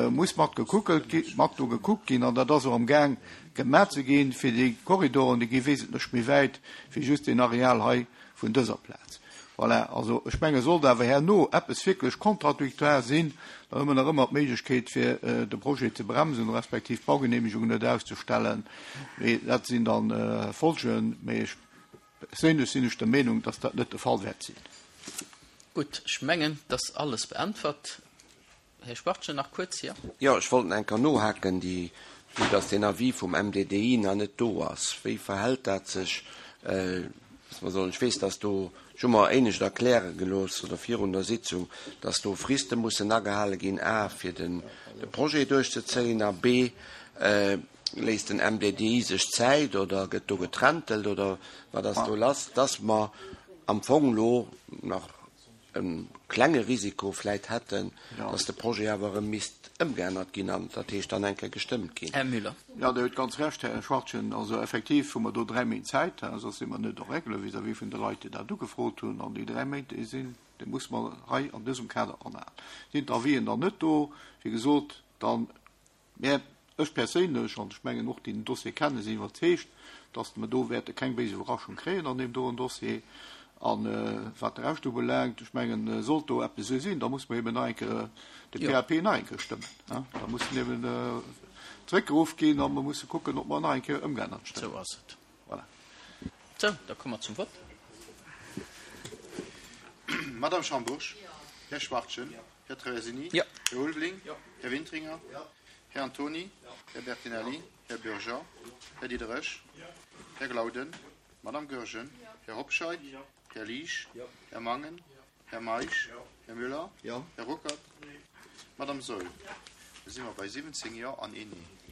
muss mat gekuckelt gi, mat do gekuckt ginn. An dat ass och amgaang gemaach ze ginn, fir déi Korridoren, déi gi wesentlech méi wäit wéi just deen Areal hei vun dëser Plaz. Voilà, also ech menge sollt awer herno eppes wierklech contradictoire sinn, dann hu mer nach ëmmer d'Méiglechkeet fir de Projet ze bremsen, respektiv d'Baugenehmegung net auszestellen. Mee dat sinn da Folgen. Mee ech perséinlech sinn ech der Meenung, dass dat net de Fall wäert sinn.
Gutt, ech mengen, et ass alles beäntwert. Här Schwartgen, nach kuerz, jo?
Jo, ech wollt nach eng Kéier nohaken, déi, vue dass deen Avis vum MDDI nach net do ass, wéi verhält dat sech, dass mer sollen, ech weess, dass do, ech hu mer éinescht erkläre gelooss, oder virun der Sitzung, dass do Friste mussen agehale ginn, a fir den de Projet duerchzezéien a b léisst den MDDI sech Zäit oder gëtt do getrentelt oder wat ass do lass, dass mer am Fong elo nach e klenge Risiko vläit hätten, dass de Projet awer erëm misst ëmgeännert ginn an dat heescht dann eng Kéier gestëmmt ginn.
Här Müller.
Jo, Dir hutt ganz Recht, Här Schwachtgen. Also effektiv hu mer do dräi Méint Zäit, soss si mer net en règle vis-à-vis vun de Leit, déi dat ugefrot hunn. An déi dräi Méint, déi sinn, déi muss mer hei an dësem Kader anhalen. Sinn d'Avisen dann net do, wéi gesot, dann, mä ech perséinlech, an ech mengen och déi den Dossier kennen, sinn iwwerzeegt, dass mer do wäerte keng béis Iwwerraschung kréien an deem doen Dossier. A wat de Rescht ubelaangt, ech mengen, sollt do eppes esou sinn, da muss mer eben nach eng Kéier de PAP nach eng Kéier stëmmen. Da muss en eben zréckgeruff ginn a mer musse kucken, ob mer en nach eng Kéier ëmgeännert stëmmen.
Esou ass et.
Voilà.
Sou, da komme mer zum Vott.
Madame Schambourg? Här Schwachtgen? Här Traversini?
Här
Ulveling? Här Wintringer? Här Antony? Här Bertinelli? Här Bürger? Här Diderich? Här Glauden? Madame Goergen? Här Hobscheit? Här Liesch? Här Mangen? Här Meisch? Här Müller? Här Ruckert? Madame Saeul? Da si mer bei siwwenzéng Jo an een Nee.